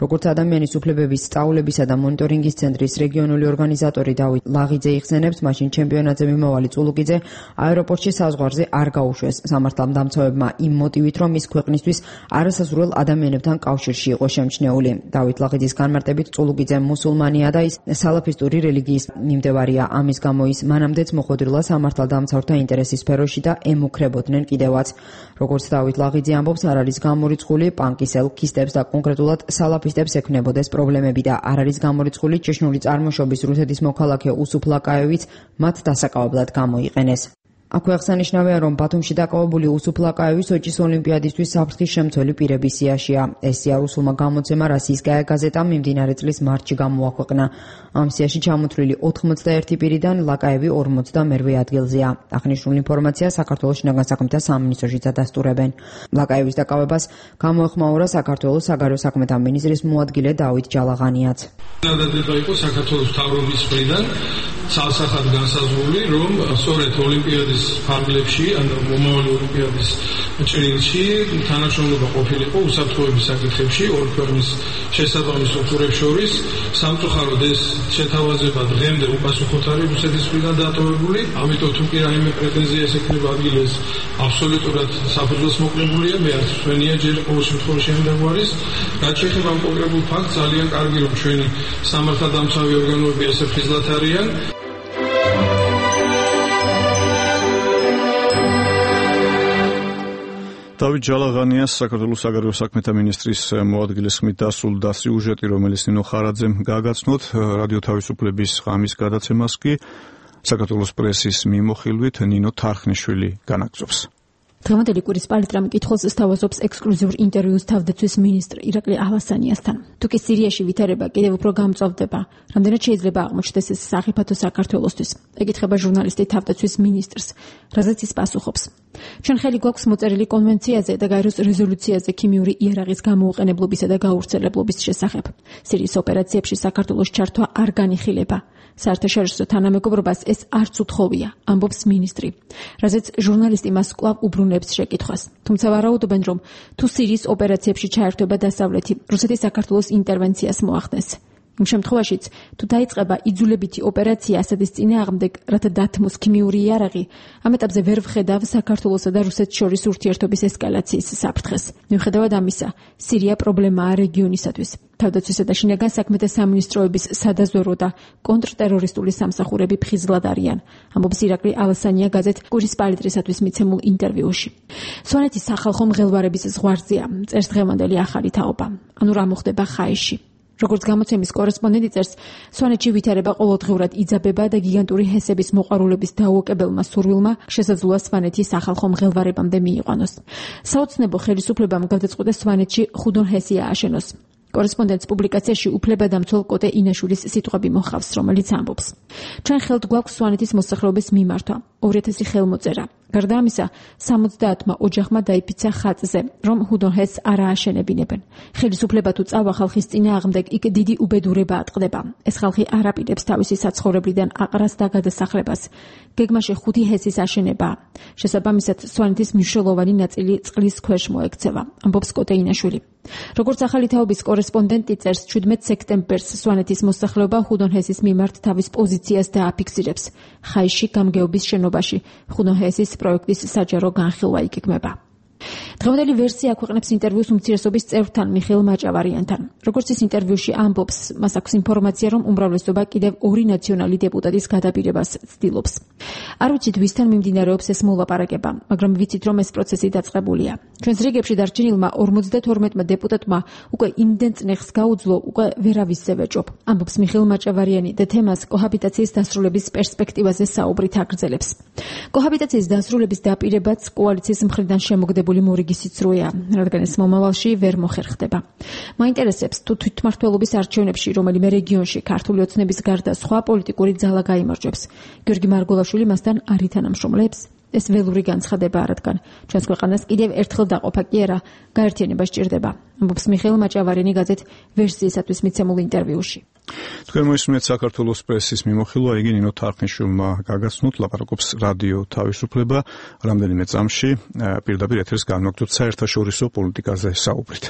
როგორც ადამიანის უფლებების სწავლებისა და მონიტორინგის ცენტრის რეგიონული ორგანიზატორი დავით ლაღიძე იხსენებს, მაშინ ჩემპიონატზე მიმავალი წულუკიძე აეროპორტში საზღვარზე არ გაუშვეს სამართალდამცავებმა იმ მოტივით, რომ ის ქვეყნისთვის არასაზრუელ ადამიანებთან კავშირში იყო შემჩნეული. დავით ლაღიძის განმარტებით წულუკიძე მუსულმანია და ის სალაფისტური რელიგიის მიმდევარია. ამის გამო ის მანამდეც მოხვედრილა სამართალდამცავთა ინტერესის სფეროში და ემუქრებოდნენ კიდევაც. როგორც დავით ლაღიძე ამბობს, არ არის გამორიცხული პანკის ელქისტებს და კონკრეტულად სალაფისტებს ექმნებოდეს პრობლემები და არ არის გამორიცხული ჭეშნური წარმოშობის რუსეთის მოქალაქე უსუფ ლაკაევიც მათ დასაკავებლად გამოიყენეს. აქვე აღსანიშნავია, რომ ბათუმში დაკავებული უსუფ ლაკაევი სოჭის ოლიმპიადისთვის საფრთხის შემცველი პირების სიაშია. ეს სია რუსულმა გამოცემა „როსიისკაია გაზეტა“ მიმდინარე წლის მარტში გამოაქვეყნა. ამ სიაში ჩამოთვლილი ოთხმოცდაერთი პირიდან ლაკაევი ორმოცდამერვე ადგილზეა. აღნიშნულ ინფორმაციას საქართველოს შინაგან საქმეთა სამინისტროში დადასტურებენ. ლაკაევის დაკავებას გამოეხმაურა საქართველოს საგარეო საქმეთა მინისტრის მოადგილე დავით ჯალაღანიაც. დადადგება იყო საქართველოს მთავრობის მხრიდან ცალსახად განსაზღვრული, რომ სწორედ ოლიმპიადის ფარგლებში, ანუ მომავალი ოლიმპიადის ჭრილში თანაშრომლობა ყოფილიყო უსაფრთხოების საკითხებში ორ ქვეყნის შესაბამის სტრუქტურებს შორის. სამწუხაროდ ეს შეთავაზება დღემდე უპასუხოთ არის რუსეთის მხრიდან დატოვებული, ამიტომ თუ კი რაიმე პრეტენზია ეს ექნება ადგილას, აბსოლუტურად საფუძველს მოკლებულია, მე არც ჩვენია ჯერ ყოველ შემთხვევაში ამ დაგვარის. რაც შეეხება ამ კონკრეტულ ფაქტს, ძალიან კარგი რომ ჩვენი სამართალდამცავი ორგანოები ესე ფიზლად არიან. დავით ჯალაღანიას საქართველოს საგარეო საქმეთა მინისტრის მოადგილის ხმით დასრულდა სიუჟეტი, რომელიც ნინო ხარაძემ გააგაცნოთ. რადიო თავისუფლების ღამის გადაცემას კი საქართველოს პრესის მიმოხილვით ნინო თარხნიშვილი განაგრძობს. დღევანდელი კვირის პალიტრამ კითხულს სთავაზობს ექსკლუზიურ ინტერვიუს თავდაცვის მინისტრ ირაკლი ალასანიასთან. თუკი სირიაში ვითარება კიდევ უფრო გამწვავდება, რამდენად შეიძლება აღმოჩნდეს ეს სახიფათო საქართველოსთვის? ეკითხება ჟურნალისტი თავდაცვის მინისტრს, რაზეც ის პასუხობს. ჩვენ ხელი გვაქვს მოწერილი კონვენციაზე და გაეროს რეზოლუციაზე ქიმიური იარაღის გამოუყენებლობისა და გავრცელებლობის შესახებ. სირიის ოპერაციებში საქართველოს ჩართვა არ განიხილება. საერთაშორისო თანამეგობრობას ეს არც უთხოვია, ამბობს მინისტრი, რაზეც ჟურნალისტი მას კვლავ უბრუნებს შეკითხვას. თუმცა ვარაუდობენ, რომ თუ სირიის ოპერაციებში ჩაერთვება დასავლეთი, რუსეთი საქართველოს ინტერვენციას მოახდენს. იმ შემთხვევაშიც, თუ დაიწყება იძულებითი ოპერაცია ასადის წინააღმდეგ, რათა დათმოს ქიმიური იარაღი, ამ ეტაპზე ვერ ვხედავ საქართველოსა და რუსეთს შორის ურთიერთობის ესკალაციის საფრთხეს. მიუხედავად ამისა, სირია პრობლემაა რეგიონისათვის. თავდაცვისა და შინაგან საქმეთა სამინისტროების სადაზვერვო და კონტრტერორისტული სამსახურები ფხიზლად არიან, ამბობს ირაკლი ალასანია გაზეთ კვირის პალიტრისათვის მიცემულ ინტერვიუში. სვანეთის სახალხო მღელვარების ზღვარზეა, წერს დღევანდელი ახალი თაობა. ანუ რა მოხდება ხაიში? როგორც გამოცემის კორესპონდენტი წერს, სვანეთში ვითარება ყოველდღიურად იძაბება და გიგანტური ჰესების მოყვარულების დაუოკებელმა სურვილმა შესაძლოა სვანეთის სახალხო მღელვარებამდე მიიყვანოს. საოცნებო ხელისუფლებამ გადაწყვიტეს სვანეთში ხუდონ ჰესი ააშენოს. კორესპონდენტს პუბლიკაციაში უფლებადამცველ კოტე ინაშვილის სიტყვები მოჰყავს, რომელიც ამბობს: ჩვენ ხელთ გვაქვს სვანეთის მოსახლეობის მიმართვა, ორი ათასი ხელმოწერა. გარდა ამისა, სამოცდაათმა ოჯახმა დაიფიცა ხატზე, რომ ჰუდონჰესს არ ააშენებინებენ. ხელისუფლება თუ წავა ხალხის წინააღმდეგ, იქ დიდი უბედურება ატყდება. ეს ხალხი არ აპირებს თავისი საცხოვრებლიდან აყრას და გადასახლებას. გეგმაში ხუთი ჰესის აშენება. შესაბამისად, სვანეთის მნიშვნელოვანი ნაწილი წყლის ქვეშ მოექცევა, ამბობს კოტე ინაშვილი. როგორც ახალი თაობის კორესპონდენტი წერს, ჩვიდმეტ სექტემბერს სვანეთის მოსახლეობა ჰუდონჰესის მიმართ თავის პოზიციას დააფიქსირებს. ხაიში გამგეობის შენობაში ჰუდონჰესის პროექტის საჯარო განხილვა იგეგმება. დღევანდელი ვერსია აქვეყნებს ინტერვიუს უმცირესობის წევრთან მიხეილ მაჭავარიანთან. როგორც ის ინტერვიუში ამბობს, მას აქვს ინფორმაცია, რომ უმრავლესობა კიდევ ორი ნაციონალი დეპუტატის გადაბირებას ცდილობს. არ ვიცით, ვისთან მიმდინარეობს ეს მოლაპარაკება, მაგრამ ვიცით, რომ ეს პროცესი დაწყებულია. ჩვენს რიგებში დარჩენილმა ორმოცდათორმეტმა დეპუტატმა უკვე იმდენ წნეხს გაუძლო, უკვე ვერავისზე ვეჭობ, ამბობს მიხეილ მაჭავარიანი და თემას კოჰაბიტაციის დასრულების პერსპექტივაზე საუბრით აგრძელებს. კოჰაბიტაციის დასრულების დაპირებაც კოალიციის მხრიდან შემოგდებული მორიგი სიცრუეა, რადგან ეს მომავალში ვერ მოხერხდება. მაინტერესებს, თუ თვითმმართველობის არჩევნებში რომელიმე რეგიონში ქართული ოცნების გარდა სხვა პოლიტიკური ძალა გაიმარჯვებს, გიორგი მარგოლაშვილი მასთან არ ითანამშრომლებს? ეს ველური განცხადებაა, რადგან ჩვენს ქვეყანას კიდევ ერთხელ დაყოფა კი არა, გაერთიანება სჭირდება, ამბობს მიხეილ მაჭავარიანი გაზეთ ვერსიისათვის მიცემულ ინტერვიუში. თქვენ მოისმენთ საქართველოს პრესის მიმოხილვა, იგი ნინო თარხნიშვილმა გაგაცნოთ, ლაპარაკობს რადიო თავისუფლება, რამდენიმე წამში პირდაპირ ეთერს განვაგრძობთ საერთაშორისო პოლიტიკაზე საუბრით.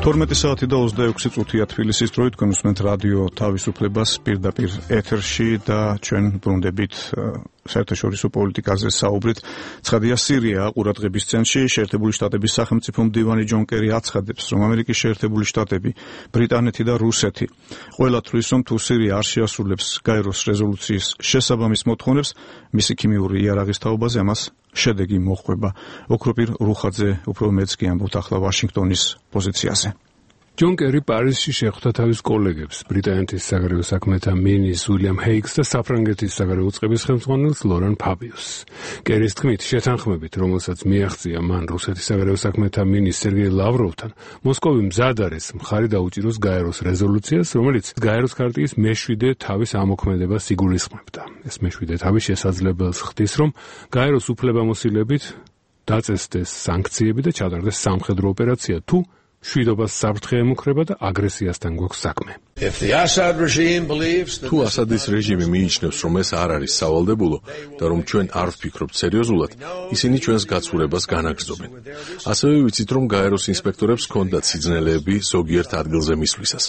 თორმეტი საათი და ოცდაექვსი წუთია თბილისის დროით, თქვენ უსმენთ რადიო თავისუფლებას პირდაპირ ეთერში და ჩვენ ბრუნდებით საერთაშორისო პოლიტიკაზე საუბრით. ცხადია, სირია ყურადღების ცენტრში. შეერთებული შტატების სახელმწიფო მდივანი ჯონ კერი აცხადებს, რომ ამერიკის შეერთებული შტატები, ბრიტანეთი და რუსეთი ყველა თვლის, რომ თუ სირია არ შეასრულებს გაეროს რეზოლუციის შესაბამის მოთხოვნებს, მისი ქიმიური იარაღის თაობაზე ამას შედეგი მოჰყვება. ოქროპირ რუხაძე უფრო მეც კი ამბობთ ახლა ვაშინგტონის პოზიციაზე. ჯონ კერი პარიზში შეხვდა თავის კოლეგებს, ბრიტანეთის საგარეო საქმეთა მინისტრს უილიამ ჰეიგს და საფრანგეთის საგარეო წყების ხელმძღვანელს ლორან ფაბიუსს. კერის თქმით, შეთანხმებით, რომელსაც მიაღწია მან რუსეთის საგარეო საქმეთა მინისტრ სერგეი ლავროვთან, მოსკოვი მზად არის მხარი დაუჭიროს გაეროს რეზოლუციას, რომელიც გაეროს ქარტიის მეშვიდე თავის ამოქმედებას იგულისხმებდა. ეს მეშვიდე თავი შესაძლებელს ხდის, რომ გაეროს უფლებამოსილებით დაწესდეს სანქციები და ჩატარდეს სამხედრო ოპერაცია, თუ შვიდობას საფრთხე ემუქრება და აგრესიასთან გვაქვს საქმე. თუ ასადის რეჟიმი მიიჩნევს, რომ ეს არ არის სავალდებულო და რომ ჩვენ არ ვფიქრობთ სერიოზულად, ისინი ჩვენს გაცურებას განაგრძობენ. ასევე ვიცით, რომ გაეროს ინსპექტორებს ჰქონდათ სიძნელეები ზოგიერთ ადგილზე მისვლისას.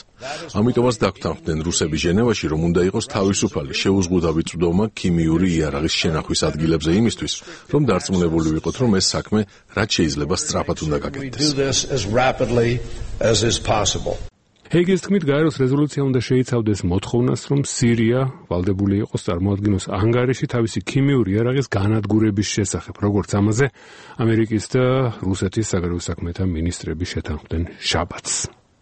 ამიტომაც დაგვთანხმდნენ რუსები ჟენევაში, რომ უნდა იყოს თავისუფალი შეუზღუდავი წვდომა ქიმიური იარაღის შენახვის ადგილებზე იმისთვის, რომ დარწმუნებული ვიყოთ, რომ ეს საქმე რაც შეიძლება სწრაფად უნდა გაკეთდეს. as is possible. ჰეიგის თქმით, გაეროს რეზოლუცია უნდა შეიცავდეს მოთხოვნას, რომ სირია ვალდებული იყოს წარმოადგინოს ანგარიში თავისი ქიმიური იარაღის განადგურების შესახებ, როგორც ამაზე ამერიკის და რუსეთის საგარეო საქმეთა მინისტრები შეთანხმდნენ შაბათს.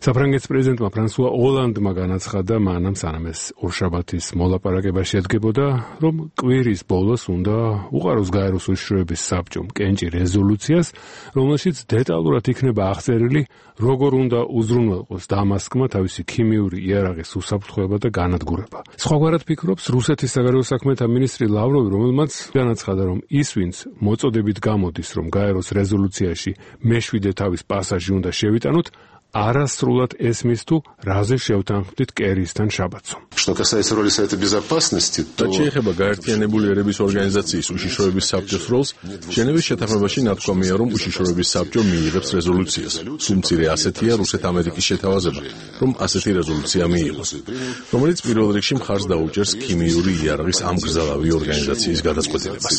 საფრანგეთის პრეზიდენტმა ფრანსუა ოლანდმა განაცხადა მანამ, სანამ ეს ორშაბათის მოლაპარაკება შედგებოდა, რომ კვირის ბოლოს უნდა უყაროს გაეროს უშიშროების საბჭომ კენჭი რეზოლუციას, რომელშიც დეტალურად იქნება აღწერილი, როგორ უნდა უზრუნველყოს დამასკმა თავისი ქიმიური იარაღის უსაფრთხოება და განადგურება. სხვაგვარად ფიქრობს რუსეთის საგარეო საქმეთა მინისტრი ლავროვი, რომელმაც განაცხადა, რომ ის, ვინც მოწოდებით გამოდის, რომ გაეროს რეზოლუციაში მეშვიდე თავის პასაჟი უნდა შევიტანოთ, არასრულად ესმის თუ რაზე შევთანხმდით კერისთან შაბათსო. რაც შეეხება გაერთიანებული ერების ორგანიზაციის უშიშროების საბჭოს როლს, ჟენევის შეთანხმებაში ნათქვამია, რომ უშიშროების საბჭო მიიღებს რეზოლუციას. თუმცირე ასეთია რუსეთ-ამერიკის შეთავაზება, რომ ასეთი რეზოლუცია მიიღოს, რომელიც პირველ რიგში მხარს დაუჭერს ქიმიური იარაღის ამ გრძელავი ორგანიზაციის გადაწყვეტილებას.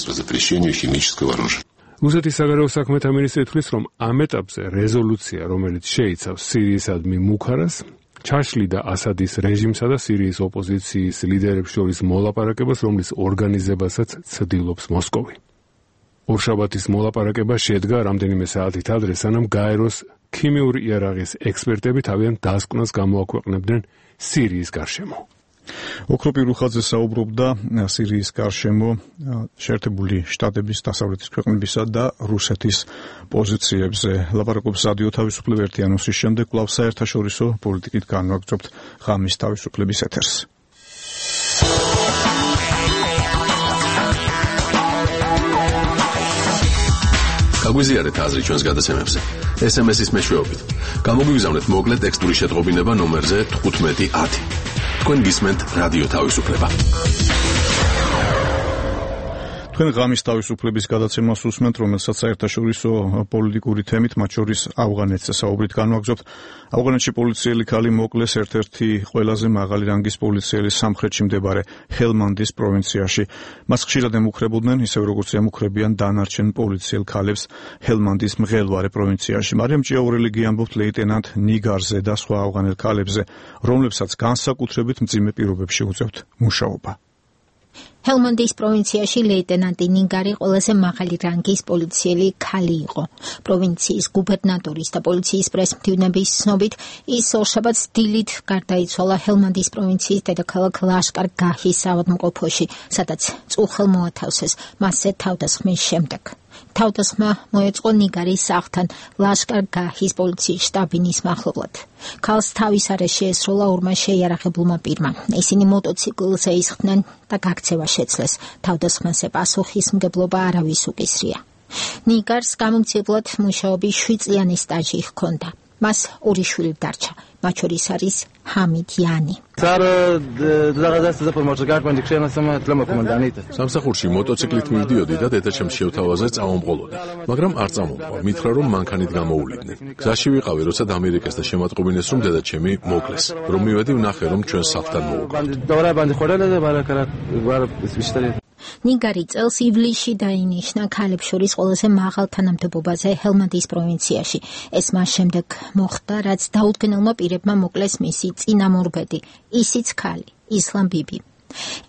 რუსეთის საგარეო საქმეთა მინისტრი თვლის, რომ ამ ეტაპზე რეზოლუცია, რომელიც შეიცავს სირიისადმი მუქარას, ჩაშლიდა ასადის რეჟიმსა და სირიის ოპოზიციის ლიდერებს შორის მოლაპარაკებას, რომლის ორგანიზებასაც ცდილობს მოსკოვი. ორშაბათის მოლაპარაკება შედგა რამდენიმე საათით ადრე, სანამ გაეროს ქიმიური იარაღის ექსპერტები თავიანთ დასკვნას გამოაქვეყნებდნენ სირიის გარშემო. ოქროპი რუხაძე საუბრობდა სირიის გარშემო შეერთებული შტატების, დასავლეთის ქვეყნებისა და რუსეთის პოზიციებზე. ლაპარაკობს რადიო თავისუფლება ერთი ანონსის შემდეგ კვლავ საერთაშორისო პოლიტიკით განვაგრძობთ ღამის თავისუფლების ეთერს. გაგვიზიარეთ აზრი ჩვენს გადაცემებზე. ეს ემ ეს-ის მეშვეობით. გამოგვიგზავნეთ მოკლე ტექსტური შეტყობინება ნომერზე თხუთმეტი ათი. თქვენ გისმენთ რადიო თავისუფლება. თქვენ ღამის თავისუფლების გადაცემას უსმენთ, რომელსაც საერთაშორისო პოლიტიკური თემით, მათ შორის ავღანეთზე საუბრით განვაგრძობთ. ავღანეთში პოლიციელი ქალი მოკლეს ერთ-ერთი ყველაზე მაღალი რანგის პოლიციელი სამხრეთში მდებარე ჰელმანდის პროვინციაში. მას ხშირად ემუქრებოდნენ, ისევ როგორც ემუქრებიან დანარჩენ პოლიციელ ქალებს ჰელმანდის მღელვარე პროვინციაში. მარიამ ჭიაურელი გიამბობთ ლეიტენანტ ნიგარზე და სხვა ავღანელ ქალებზე, რომლებსაც განსაკუთრებით მძიმე პირობებში უწევთ მუშაობა. ჰელმანდის პროვინციაში ლეიტენანტი ნიგარი ყველაზე მაღალი რანგის პოლიციელი ქალი იყო. პროვინციის გუბერნატორის და პოლიციის პრესმდივნების ცნობით, ის ორშაბათს დილით გარდაიცვალა ჰელმანდის პროვინციის დედაქალაქ ლაშკარ-გაჰის ავადმყოფოში, სადაც წუხელ მოათავსეს მასზე თავდასხმის შემდეგ. თავდასხმა მოეწყო ნიგარის სახლთან ლაშკარ-გაჰის პოლიციის შტაბინის მახლობლად. ქალს თავის არეში ესროლა ორმა შეიარაღებულმა პირმა. ისინი მოტოციკლზე ისხდნენ და გაქცევა შეძლეს. თავდასხმაზე პასუხისმგებლობა არავის უკისრია. ნიგარს გამომცემლად მუშაობის შვიდწლიანი სტაჟი ჰქონდა. მას ორი შვილი დარჩა, მათ შორის არის ჰამიდ იანი. სამსახურში მოტოციკლით მივდიოდი და დედაჩემს შევთავაზე წავამყოლოდი, მაგრამ არ წამომყვა, მითხრა რომ მანქანით გამოუვლიდნენ. გზაში ვიყავი, როცა დამირეკეს და შემატყობინეს რომ დედაჩემი მოკლეს. რომ მივედი ვნახე რომ ჩვენ სახლთან მოუყვანთ. ნიგარი წელს ივლისში დაინიშნა ქალებს შორის ყველაზე მაღალ თანამდებობაზე ჰელმანდის პროვინციაში. ეს მას შემდეგ მოხდა, რაც დაუდგენელმა პირებმა მოკლეს მისი წინამორბედი, ისიც ქალი, ისლამ ბიბი.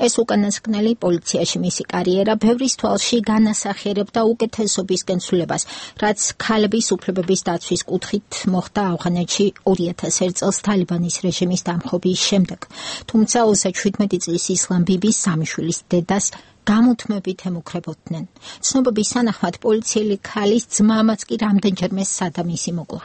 ეს უკანასკნელი პოლიციაში მისი კარიერა ბევრის თვალში განასახიერებდა უკეთესობის კენცულებას, რაც ქალების უფლებების დაცვის კუთხით მოხდა ავღანეთში ორი ათას ერთ წელს თალიბანის რეჟიმის დამხობის შემდეგ. თუმცა ოცდაშვიდმეტი წლის ისლამ ბიბის სამი შვილის დედას გამუდმებით ემუქრებოდნენ. ცნობების თანახმად პოლიციელი ქალის ძმამაც კი რამდენჯერმე სადამისი მოკლა.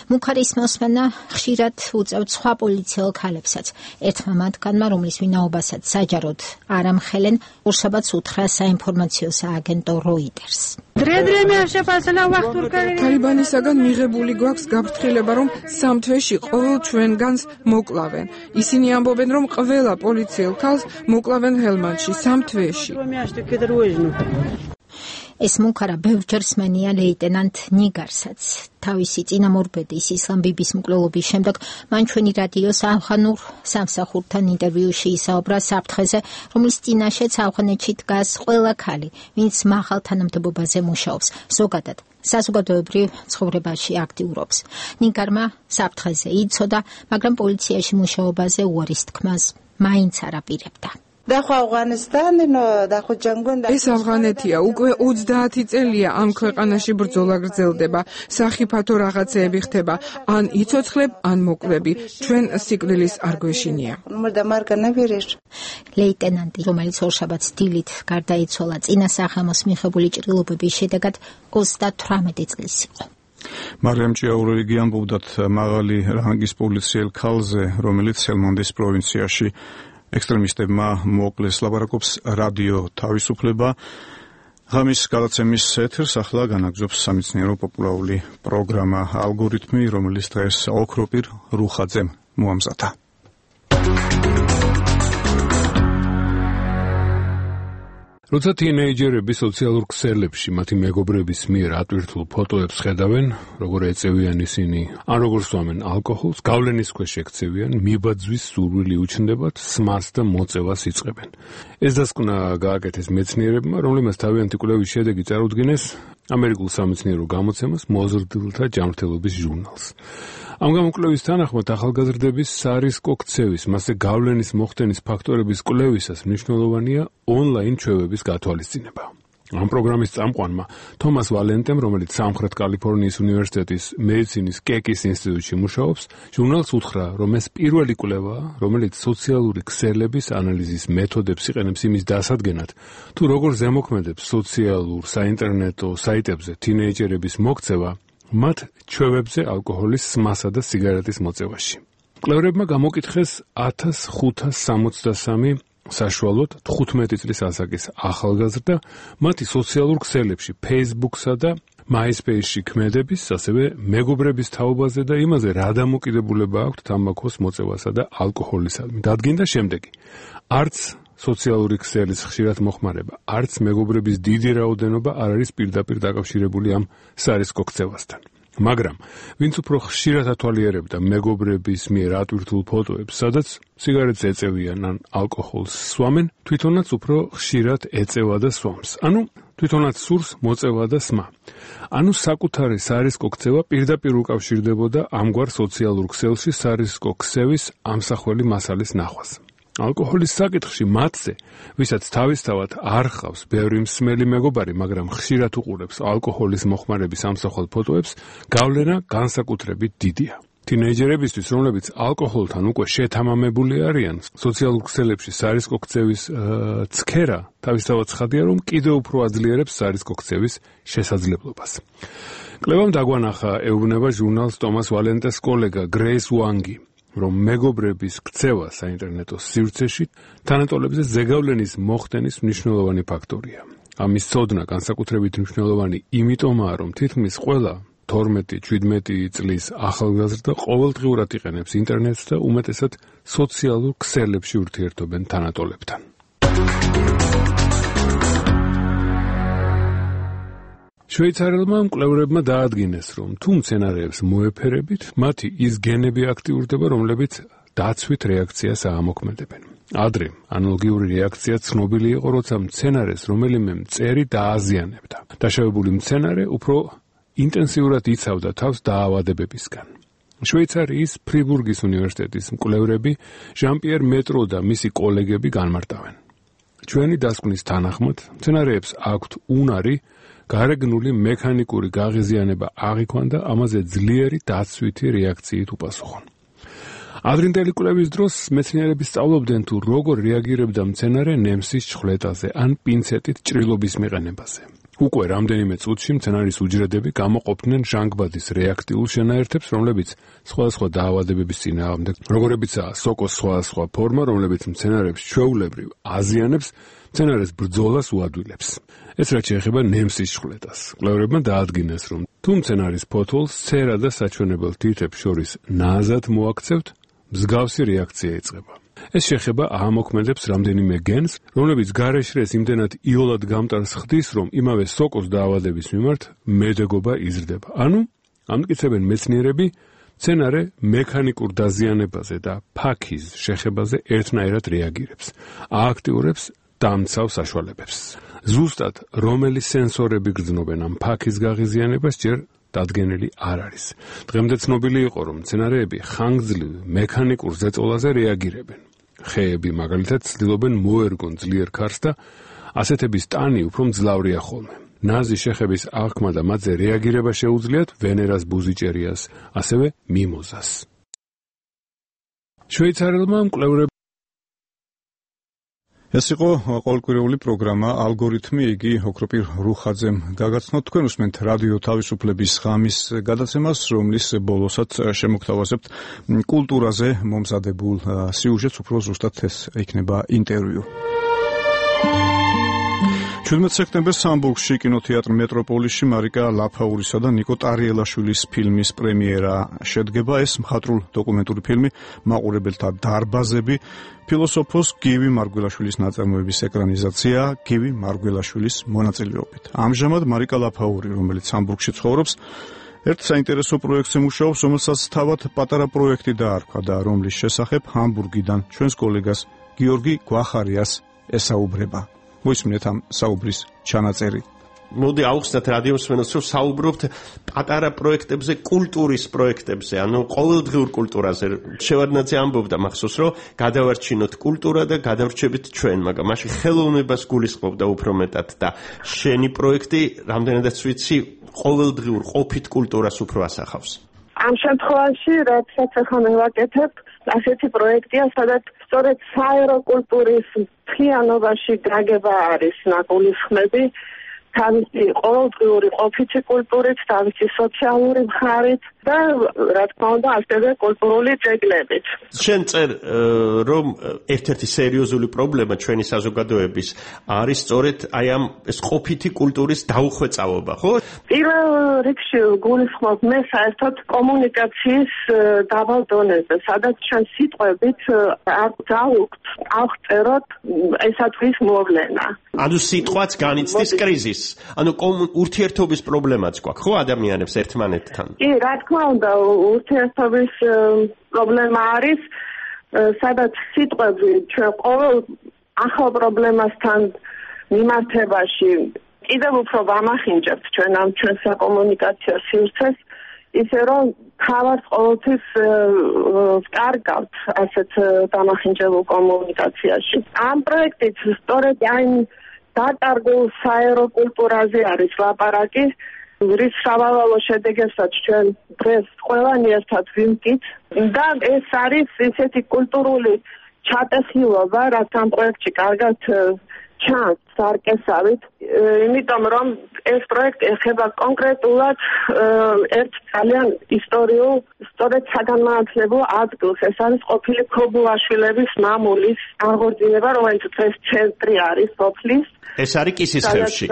მუქარის მოსმენა ხშირად უწევთ სხვა პოლიციელ ქალებსაც. ერთმა მათგანმა, რომლის ვინაობასაც საჯაროდ არ ამხელენ, ორშაბათს უთხრა საინფორმაციო სააგენტო როიტერს. თალიბანისაგან მიღებული გვაქვს გაფრთხილება, რომ სამ თვეში ყოველ ჩვენგანს მოკლავენ. ისინი ამბობენ, რომ ყველა პოლიციელ ქალს მოკლავენ ჰელმანდში სამ თვეში. ეს მუქარა ბევრჯერ სმენია ლეიტენანტ ნიგარსაც. თავისი წინამორბედის ისლამ ბიბის მკვლელობის შემდეგ მან ჩვენი რადიოს ავღანურ სამსახურთან ინტერვიუში ისაუბრა საფრთხეზე, რომლის წინაშეც ავღანეთში დგას ყველა ქალი, ვინც მაღალ თანამდებობაზე მუშაობს, ზოგადად საზოგადოებრივ ცხოვრებაში აქტიურობს. ნიგარმა საფრთხეზე იცოდა, მაგრამ პოლიციაში მუშაობაზე უარის თქმას მაინც არ აპირებდა. ეს ავღანეთია, უკვე ოცდაათი წელია ამ ქვეყანაში ბრძოლა გრძელდება, სახიფათო რაღაცეები ხდება, ან იცოცხლებ, ან მოკლები, ჩვენ სიკვდილის არ გვეშინია. ლეიტენანტი, რომელიც ორშაბათს დილით გარდაიცვალა წინა სახამოს მიღებული ჭრილობების შედეგად ოცდათვრამეტი წლის იყო. მარიამ ჭიაურელი გიამბობდათ მაღალი რანგის პოლიციელ ქალზე, რომელიც ჰელმანდის პროვინციაში ექსტრემისტებმა მოკლეს. ლაპარაკობს რადიო თავისუფლება. ღამის გადაცემის ეთერს ახლა განაგზობს სამეცნიერო პოპულარული პროგრამა ალგორითმი, რომელიც დღეს ოქროპირ რუხაძემ მოამზადა. როცა თინეიჯერები სოციალურ ქსელებში მათი მეგობრების მიერ ატვირთულ ფოტოებს ხედავენ, როგორ ეწევიან ისინი, ან როგორ სვამენ ალკოჰოლს, გავლენის ქვეშ ექცევიან, მიბაძვის სურვილი უჩნდებათ, სმარს და მოწევას იწყებენ. ეს დასკვნა გააკეთეს მეცნიერებმა, რომლებმაც თავიანთი კვლევის შედეგი წარუდგინეს ამერიკულ სამეცნიერო გამოცემას მოზრდილთა ჯანმრთელობის ჟურნალს. ამ გამოკვლევის თანახმად ახალგაზრდების სარისკო ქცევის, მასზე გავლენის მოხდენის ფაქტორების კვლევისას მნიშვნელოვანია ონლაინ ჩვევების გათვალისწინება. ამ პროგრამის წამყვანმა თომას ვალენტემ, რომელიც სამხრეთ კალიფორნიის უნივერსიტეტის მედიცინის კეკის ინსტიტუტში მუშაობს, ჟურნალს უთხრა, რომ ეს პირველი კვლევაა, რომელიც სოციალური ქსელების ანალიზის მეთოდებს იყენებს იმის დასადგენად, თუ როგორ ზემოქმედებს სოციალურ საინტერნეტო საიტებზე თინეიჯერების მოქცევა მათ ჩვევებზე ალკოჰოლის სმასა და სიგარეტის მოწევაში. მკვლევრებმა გამოკითხეს ათას ხუთას სამოცდასამი საშუალოდ თხუთმეტი წლის ასაკის ახალგაზრდა მათი სოციალურ ქსელებში Facebook-სა და MySpace-ში ქმედების, ასევე მეგობრების თაობაზე და იმაზე, რა დამოკიდებულება აქვთ თამბაქოს მოწევასა და ალკოჰოლისადმი. დადგინდა შემდეგი: არც სოციალური ქსელის ხშირად მოხმარება, არც მეგობრების დიდი რაოდენობა არ არის პირდაპირ დაკავშირებული ამ სარისკო ქცევასთან. მაგრამ ვინც უფრო ხშირად ათვალიერებდა მეგობრების მიერ ატვირთულ ფოტოებს, სადაც სიგარეტს ეწევიან ან ალკოჰოლს სვამენ, თვითონაც უფრო ხშირად ეწევა და სვამს. ანუ თვითონაც სურს მოწევა და სმა. ანუ საკუთარი სარისკო ქცევა პირდაპირ უკავშირდებოდა ამგვარ სოციალურ ქსელში სარისკო ქსევის ამსახველი მასალის ნახვას. ალკოჰოლის საკითხში მათზე, ვისაც თავისთავად არ ჰყავს ბევრი მსმელი მეგობარი, მაგრამ ხშირად უყურებს ალკოჰოლის მოხმარების ამსახველ ფოტოებს, გავლენა განსაკუთრებით დიდია. თინეიჯერებისთვის, რომლებიც ალკოჰოლთან უკვე შეთამამებული არიან, სოციალურ ქსელებში სარისკო ქცევის ცქერა თავისთავად ცხადია, რომ კიდევ უფრო აძლიერებს სარისკო ქცევის შესაძლებლობას. კვლევამ დაგვანახა, ეუბნება ჟურნალს ტომას ვალენტეს კოლეგა გრეის უანგი, რომ მეგობრების ქცევა საინტერნეტო სივრცეში თანატოლებზე ზეგავლენის მოხდენის მნიშვნელოვანი ფაქტორია. ამის ცოდნა განსაკუთრებით მნიშვნელოვანი იმიტომაა, რომ თითქმის ყველა თორმეტი შვიდმეტი წლის ახალგაზრდა ყოველდღიურად იყენებს ინტერნეტს და უმეტესად სოციალურ ქსელებში ურთიერთობენ თანატოლებთან. შვეიცარიელმა მკვლევრებმა დაადგინეს, რომ თუ მცენარეებს მოეფერებით, მათი ის გენები აქტიურდება, რომლებიც დაცვით რეაქციას აამოქმედებენ. ადრე ანალოგიური რეაქცია ცნობილი იყო, როცა მცენარეს რომელიმე მწერი დააზიანებდა. დაშავებული მცენარე უფრო ინტენსიურად იცავდა თავს დაავადებებისგან. შვეიცარიის ფრიბურგის უნივერსიტეტის მკვლევრები ჟან-პიერ მეტრო და მისი კოლეგები განმარტავენ. ჩვენი დასკვნის თანახმად, მცენარეებს აქვთ უნარი გარეგნული მექანიკური გაღიზიანება აღიქვან და ამაზე ძლიერი დაცვითი რეაქციით უპასუხონ. ადრინდელი კვლევის დროს მეცნიერები სწავლობდნენ თუ როგორ რეაგირებდა მცენარე ნემსის ჩხვლეტაზე ან პინცეტით ჭრილობის მიყენებაზე. უკვე რამდენიმე წუთში მცენარის უჯრედები გამოყოფდნენ ჟანგბადის რეაქტიულ შენაერთებს, რომლებიც სხვადასხვა დაავადებების წინააღმდეგ, როგორებიცაა სოკოს სხვადასხვა ფორმა, რომლებიც მცენარებს ჩვეულებრივ აზიანებს, მცენარეს ბრძოლას უადვილებს. ეს რაც შეეხება ნემსის ჩხვლეტას. მკვლევრებმა დაადგინეს, რომ თუ მცენარის ფოთოლს ცერა და საჩვენებელ თითებს შორის ნაზად მოაქცევთ, მსგავსი რეაქცია იწყება. ეს შეხება აამოქმედებს რამდენიმე გენს, რომლებიც გარეშრეს იმდენად იოლად გამტარს ხდის, რომ იმავე სოკოს დაავადების მიმართ მედეგობა იზრდება. ანუ ამტკიცებენ მეცნიერები, მცენარე მექანიკურ დაზიანებაზე და ფაქიზ შეხებაზე ერთნაირად რეაგირებს, ააქტიურებს დამცავ საშუალებებს. ზუსტად რომელი სენსორები გრძნობენ ამ ფაქის გაღიზიანებას ჯერ დადგენილი არ არის. დღემდე ცნობილი იყო, რომ მცენარეები ხანგრძლივ მექანიკურ ზეწოლაზე რეაგირებენ. ხეები მაგალითად ცდილობენ მოერგონ ძლიერ ქარს და ასეთების ტანი უფრო მძლავრია ხოლმე. ნაზი შეხების აღქმა და მათზე რეაგირება შეუძლიათ ვენერას ბუზიჭერიას, ასევე მიმოზას. შვეიცარიელმა მკვლევრებმა ეს იყო ყოველკვირეული პროგრამა ალგორითმი, იგი ოქროპირ რუხაძემ გაგაცნოთ. თქვენ უსმენთ რადიო თავისუფლების ღამის გადაცემას, რომლის ბოლოსაც შემოგთავაზებთ კულტურაზე მომზადებულ სიუჟეტს, უფრო ზუსტად ეს იქნება ინტერვიუ. შვიდმეტ სექტემბერს ჰამბურგში კინოთეატრ მეტროპოლისში მარიკა ლაფაურისა და ნიკო ტარიელაშვილის ფილმის პრემიერა შედგება. ეს მხატვრულ დოკუმენტური ფილმი მაყურებელთა დარბაზები, ფილოსოფოს გივი მარგველაშვილის ნაწარმოების ეკრანიზაცია გივი მარგველაშვილის მონაწილეობით. ამჟამად მარიკა ლაფაური, რომელიც ჰამბურგში ცხოვრობს, ერთ საინტერესო პროექტზე მუშაობს, რომელსაც თავად პატარა პროექტი დაარქვა და რომლის შესახებ ჰამბურგიდან ჩვენს კოლეგას გიორგი გვახარიას ესაუბრება. მოისმინეთ ამ საუბრის ჩანაწერი. მოდი ავხსნათ რადიო მსმენელს, რომ საუბრობთ პატარა პროექტებზე, კულტურის პროექტებზე, ანუ ყოველდღიურ კულტურაზე. შევარდნაძე ამბობდა მახსოვს, რომ გადავარჩინოთ კულტურა და გადავრჩებით ჩვენ, მაგრამ მაშინ ხელოვნებას გულისხმობდა უფრო მეტად და შენი პროექტი, რამდენადაც ვიცი, ყოველდღიურ ყოფით კულტურას უფრო ასახავს. ამ შემთხვევაში, როდესაც ახლა მე ვაკეთებ, ასეთი პროექტია, სადაც სწორედ საერო კულტურის მთლიანობაში გაგება არის ნაგულისხმები, თავისი ყოველდღიური ყოფითი კულტურით, თავისი სოციალური მხარით და რა თქმა უნდა, ასევე კულტურული ძეგლებით. შენ წერ რომ ერთ-ერთი სერიოზული პრობლემა ჩვენი საზოგადოების არის სწორედ აი ამ ეს ყოფითი კულტურის დაუხვეწავობა, ხო? პირველ რიგში გულისხმობ მე საერთოდ კომუნიკაციის დაბალ დონეზე, სადაც ჩვენ სიტყვებით აღწავთ, აღწეროთ ესათვის მოვლენა. ანუ სიტყვაც განიცდის კრიზისს. ანუ ურთიერთობის პრობლემაც გვაქვს, ხო, ადამიანებს ერთმანეთთან? კი, რა თქმა უნდა, ურთიერთობის პრობლემა არის, სადაც სიტყვები ჩვენ ყოველ ახალ პრობლემასთან მიმართებაში კიდევ უფრო ვამახინჯებთ ჩვენ ამ ჩვენ საკომუნიკაციო სივრცეს, ისე რომ თავად ყოველთვის ვკარგავთ ასეთ დამახინჯებულ კომუნიკაციაში. ამ პროექტით სწორედ აი დაკარგულ საერო კულტურაზე არის ლაპარაკი, რის სავალალო შედეგებსაც ჩვენ დღეს ყველანი ერთად ვიმტკით და ეს არის ისეთი კულტურული ჩატეხილობა, რაც ამ პროექტში კარგად ჩანს სარკესავით, იმიტომ რომ ეს პროექტი ეხება კონკრეტულად ერთ ძალიან ისტორიულ, სწორედ საგანმანათლებლო ადგილს. ეს არის ყოფილი ქობულაშვილების მამულის აღორძინება, რომელიც დღეს ცენტრი არის სოფლის. ეს არის კისისხევში.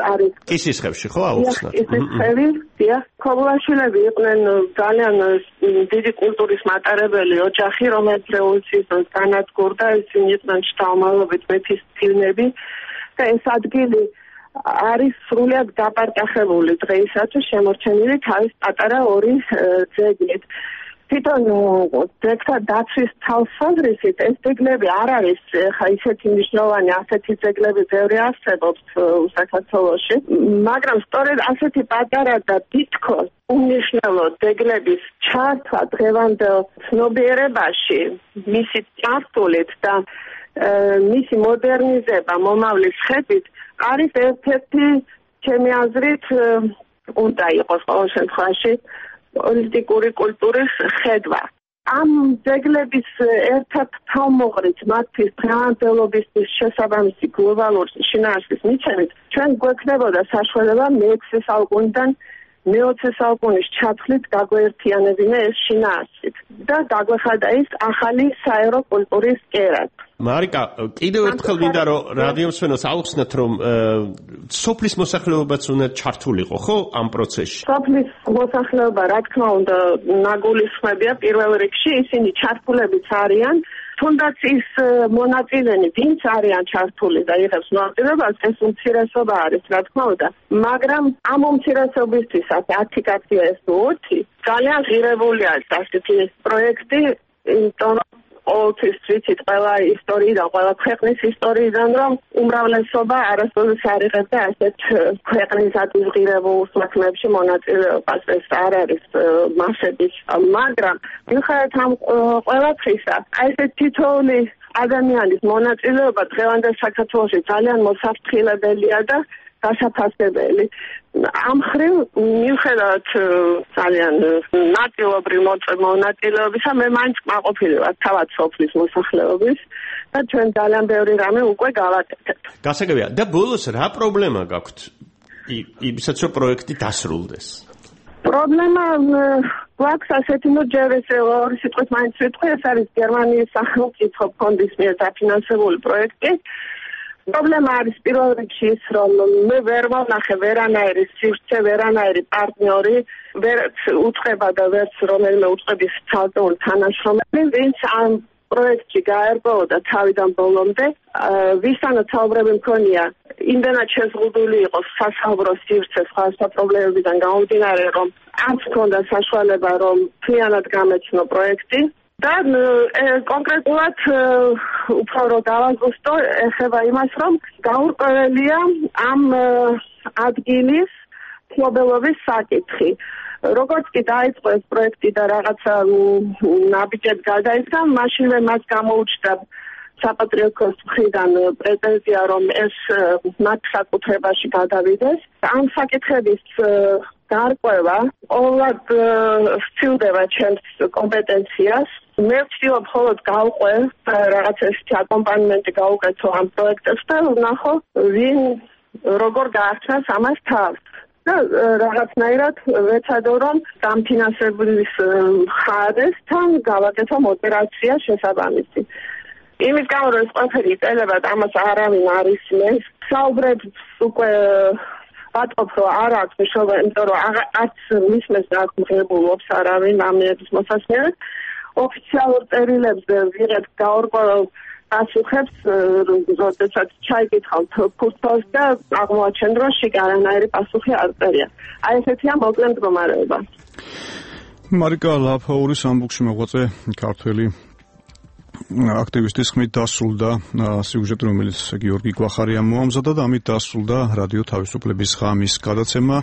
კისისხევში, ხო, აუხსნათ. კისისხევი, დიახ, ქობულაშვილები იყვნენ ძალიან დიდი კულტურის მატარებელი ოჯახი, რომელიც რევოლუციის დროს განადგურდა, ისინი იყვნენ შთამომავლობით მეფის წინები და ეს ადგილი არის სრულიად გაპარტახებული დღეისათვის შემორჩენილი თავის პატარა ორი ძეგლით. თვითონ ძეგლთა დაცვის თვალსაზრისით ეს ძეგლები არ არის ხა ისეთი მნიშვნელოვანი, ასეთი ძეგლები ბევრი არსებობს საქართველოში, მაგრამ სწორედ ასეთი პატარა და თითქოს უმნიშვნელო ძეგლების ჩართვა დღევანდელ ცნობიერებაში, მისი წარსულით და მისი მოდერნიზება მომავლის ხედვით არის ერთ-ერთი ჩემი აზრით უნდა იყოს ყოველ შემთხვევაში პოლიტიკური კულტურის ხედვა. ამ ძეგლების ერთ-ერთ თავმოყრით მათთვის დღევანდელობისთვის შესაბამისი გლობალური შინაარსის მიცემით ჩვენ გვექნებოდა საშუალება მეექვსე საუკუნიდან მეოცე საუკუნის ჩათვლით გაგვეერთიანებინა ეს შინაარსით და გაგვეხადა ის ახალი საერო კულტურის კერად. მარიკა, კიდევ ერთხელ მინდა რომ რადიო მსმენელს აუხსნათ, რომ სოფლის მოსახლეობაც უნდა ჩართულიყო, ხო, ამ პროცესში? სოფლის მოსახლეობა, რა თქმა უნდა, ნაგულისხმებია პირველ რიგში, ისინი ჩართულებიც არიან, თუნდაც ის მონაწილენი, ვინც არიან ჩართული და იღებს მონაწილეობას, ეს უმცირესობა არის, რა თქმა უნდა. მაგრამ ამ უმცირესობისთვისაც ათი კაცია ეს ოთხი, ძალიან ღირებულია ასეთი პროექტი, იმიტომ რომ ყოველთვის ვიცით ყველა ისტორიიდან, ყველა ქვეყნის ისტორიიდან, რომ უმრავლესობა არასოდეს არ იღებდა ასეთ ქვეყნისათვის ღირებულ საქმეებში მონაწილეობას. ეს არ არის მასების, მაგრამ მიუხედავად ამ ყველაფრისა, აი ეს თითოეული ადამიანის მონაწილეობა დღევანდელ საქართველოში ძალიან მოსაფრთხილებელია და გასაფასებელი. ამ ხრივ მიუხედავად ძალიან ნაწილობრივ მონაწილეობისა, მე მაინც კმაყოფილი ვარ თავად სოფლის მოსახლეობის და ჩვენ ძალიან ბევრი რამე უკვე გავაკეთებთ. გასაგებია. და ბოლოს რა პრობლემა გაქვთ? იმისაც რომ პროექტი დასრულდეს. პრობლემა გვაქვს ასეთი, ნუ ჯერ ეს ორი სიტყვით მაინც ვიტყვი, ეს არის გერმანიის სახელმწიფო ფონდის მიერ დაფინანსებული პროექტი. პრობლემა არის პირველ რიგში ის, რომ მე ვერ ვნახე ვერანაირი სივრცე, ვერანაირი პარტნიორი, ვერც უწყება და ვერც რომელიმე უწყების ცალკეული თანაშრომელი, ვინც ამ პროექტში გაერბოდა თავიდან ბოლომდე, ვისთანაც საუბრები მქონია, იმდენად შეზღუდული იყო სასაუბრო სივრცე სხვადასხვა პრობლემებიდან გამომდინარე, რომ არც მქონდა საშუალება, რომ მთლიანად გამეცნო პროექტი. და კონკრეტულად უფრო რომ დავაზუსტო, ეხება იმას, რომ გაურკვეველია ამ ადგილის მფლობელობის საკითხი. როგორც კი დაიწყო ეს პროექტი და რაღაცა ნაბიჯად გადაიქცა, მაშინვე მას გამოუჩნდა საპატრიარქოს მხრიდან პრეტენზია, რომ ეს მათ საკუთრებაში გადავიდეს. ამ საკითხების გარკვევა ყოველად სცილდება ჩემს კომპეტენციას. მე ვცდილობ მხოლოდ გავყვე რაღაც ესეთი აკომპანიმენტი გავუკეთო ამ პროექტებს და ვნახო ვინ როგორ გაახსნას ამას თავს. და რაღაცნაირად ვეცადო, რომ დამფინანსებლის მხარესთან გავაკეთო ოპერაცია შესაბამისი. იმის გამო, რომ ეს ყველაფერი იწელებათ, ამას არავინ არ ისმენს. საუბრებს უკვე ვატყობ, რომ არ აქვს მნიშვნელობა, იმიტომ რომ არც მისმენს და არც მღებულობს არავინ ამ მიების მოსასმენად. ოფიციალურ წერილებს ვიღებ გაურკვეველ პასუხებს, როდესაც ჩაიკითხავთ ფურცელს და აღმოაჩენ, რომ შიგ არანაირი პასუხი არ წერია. აი ესეთია მოკლე მდგომარეობა. მარიკა ლაფაურის ამბუქში მოღვაწე ქართველი აქტივისტის ხმით დასრულდა სიუჟეტი, რომელიც გიორგი გვახარიამ მოამზადა და ამით დასრულდა რადიო თავისუფლების ღამის გადაცემა.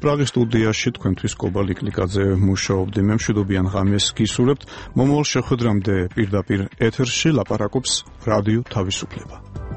პრაღის სტუდიაში თქვენთვის კობა ლიკლიკაძე მუშაობდი. მე მშვიდობიან ღამეს გისურვებთ. მომავალ შეხვედრამდე პირდაპირ ეთერში ლაპარაკობს რადიო თავისუფლება.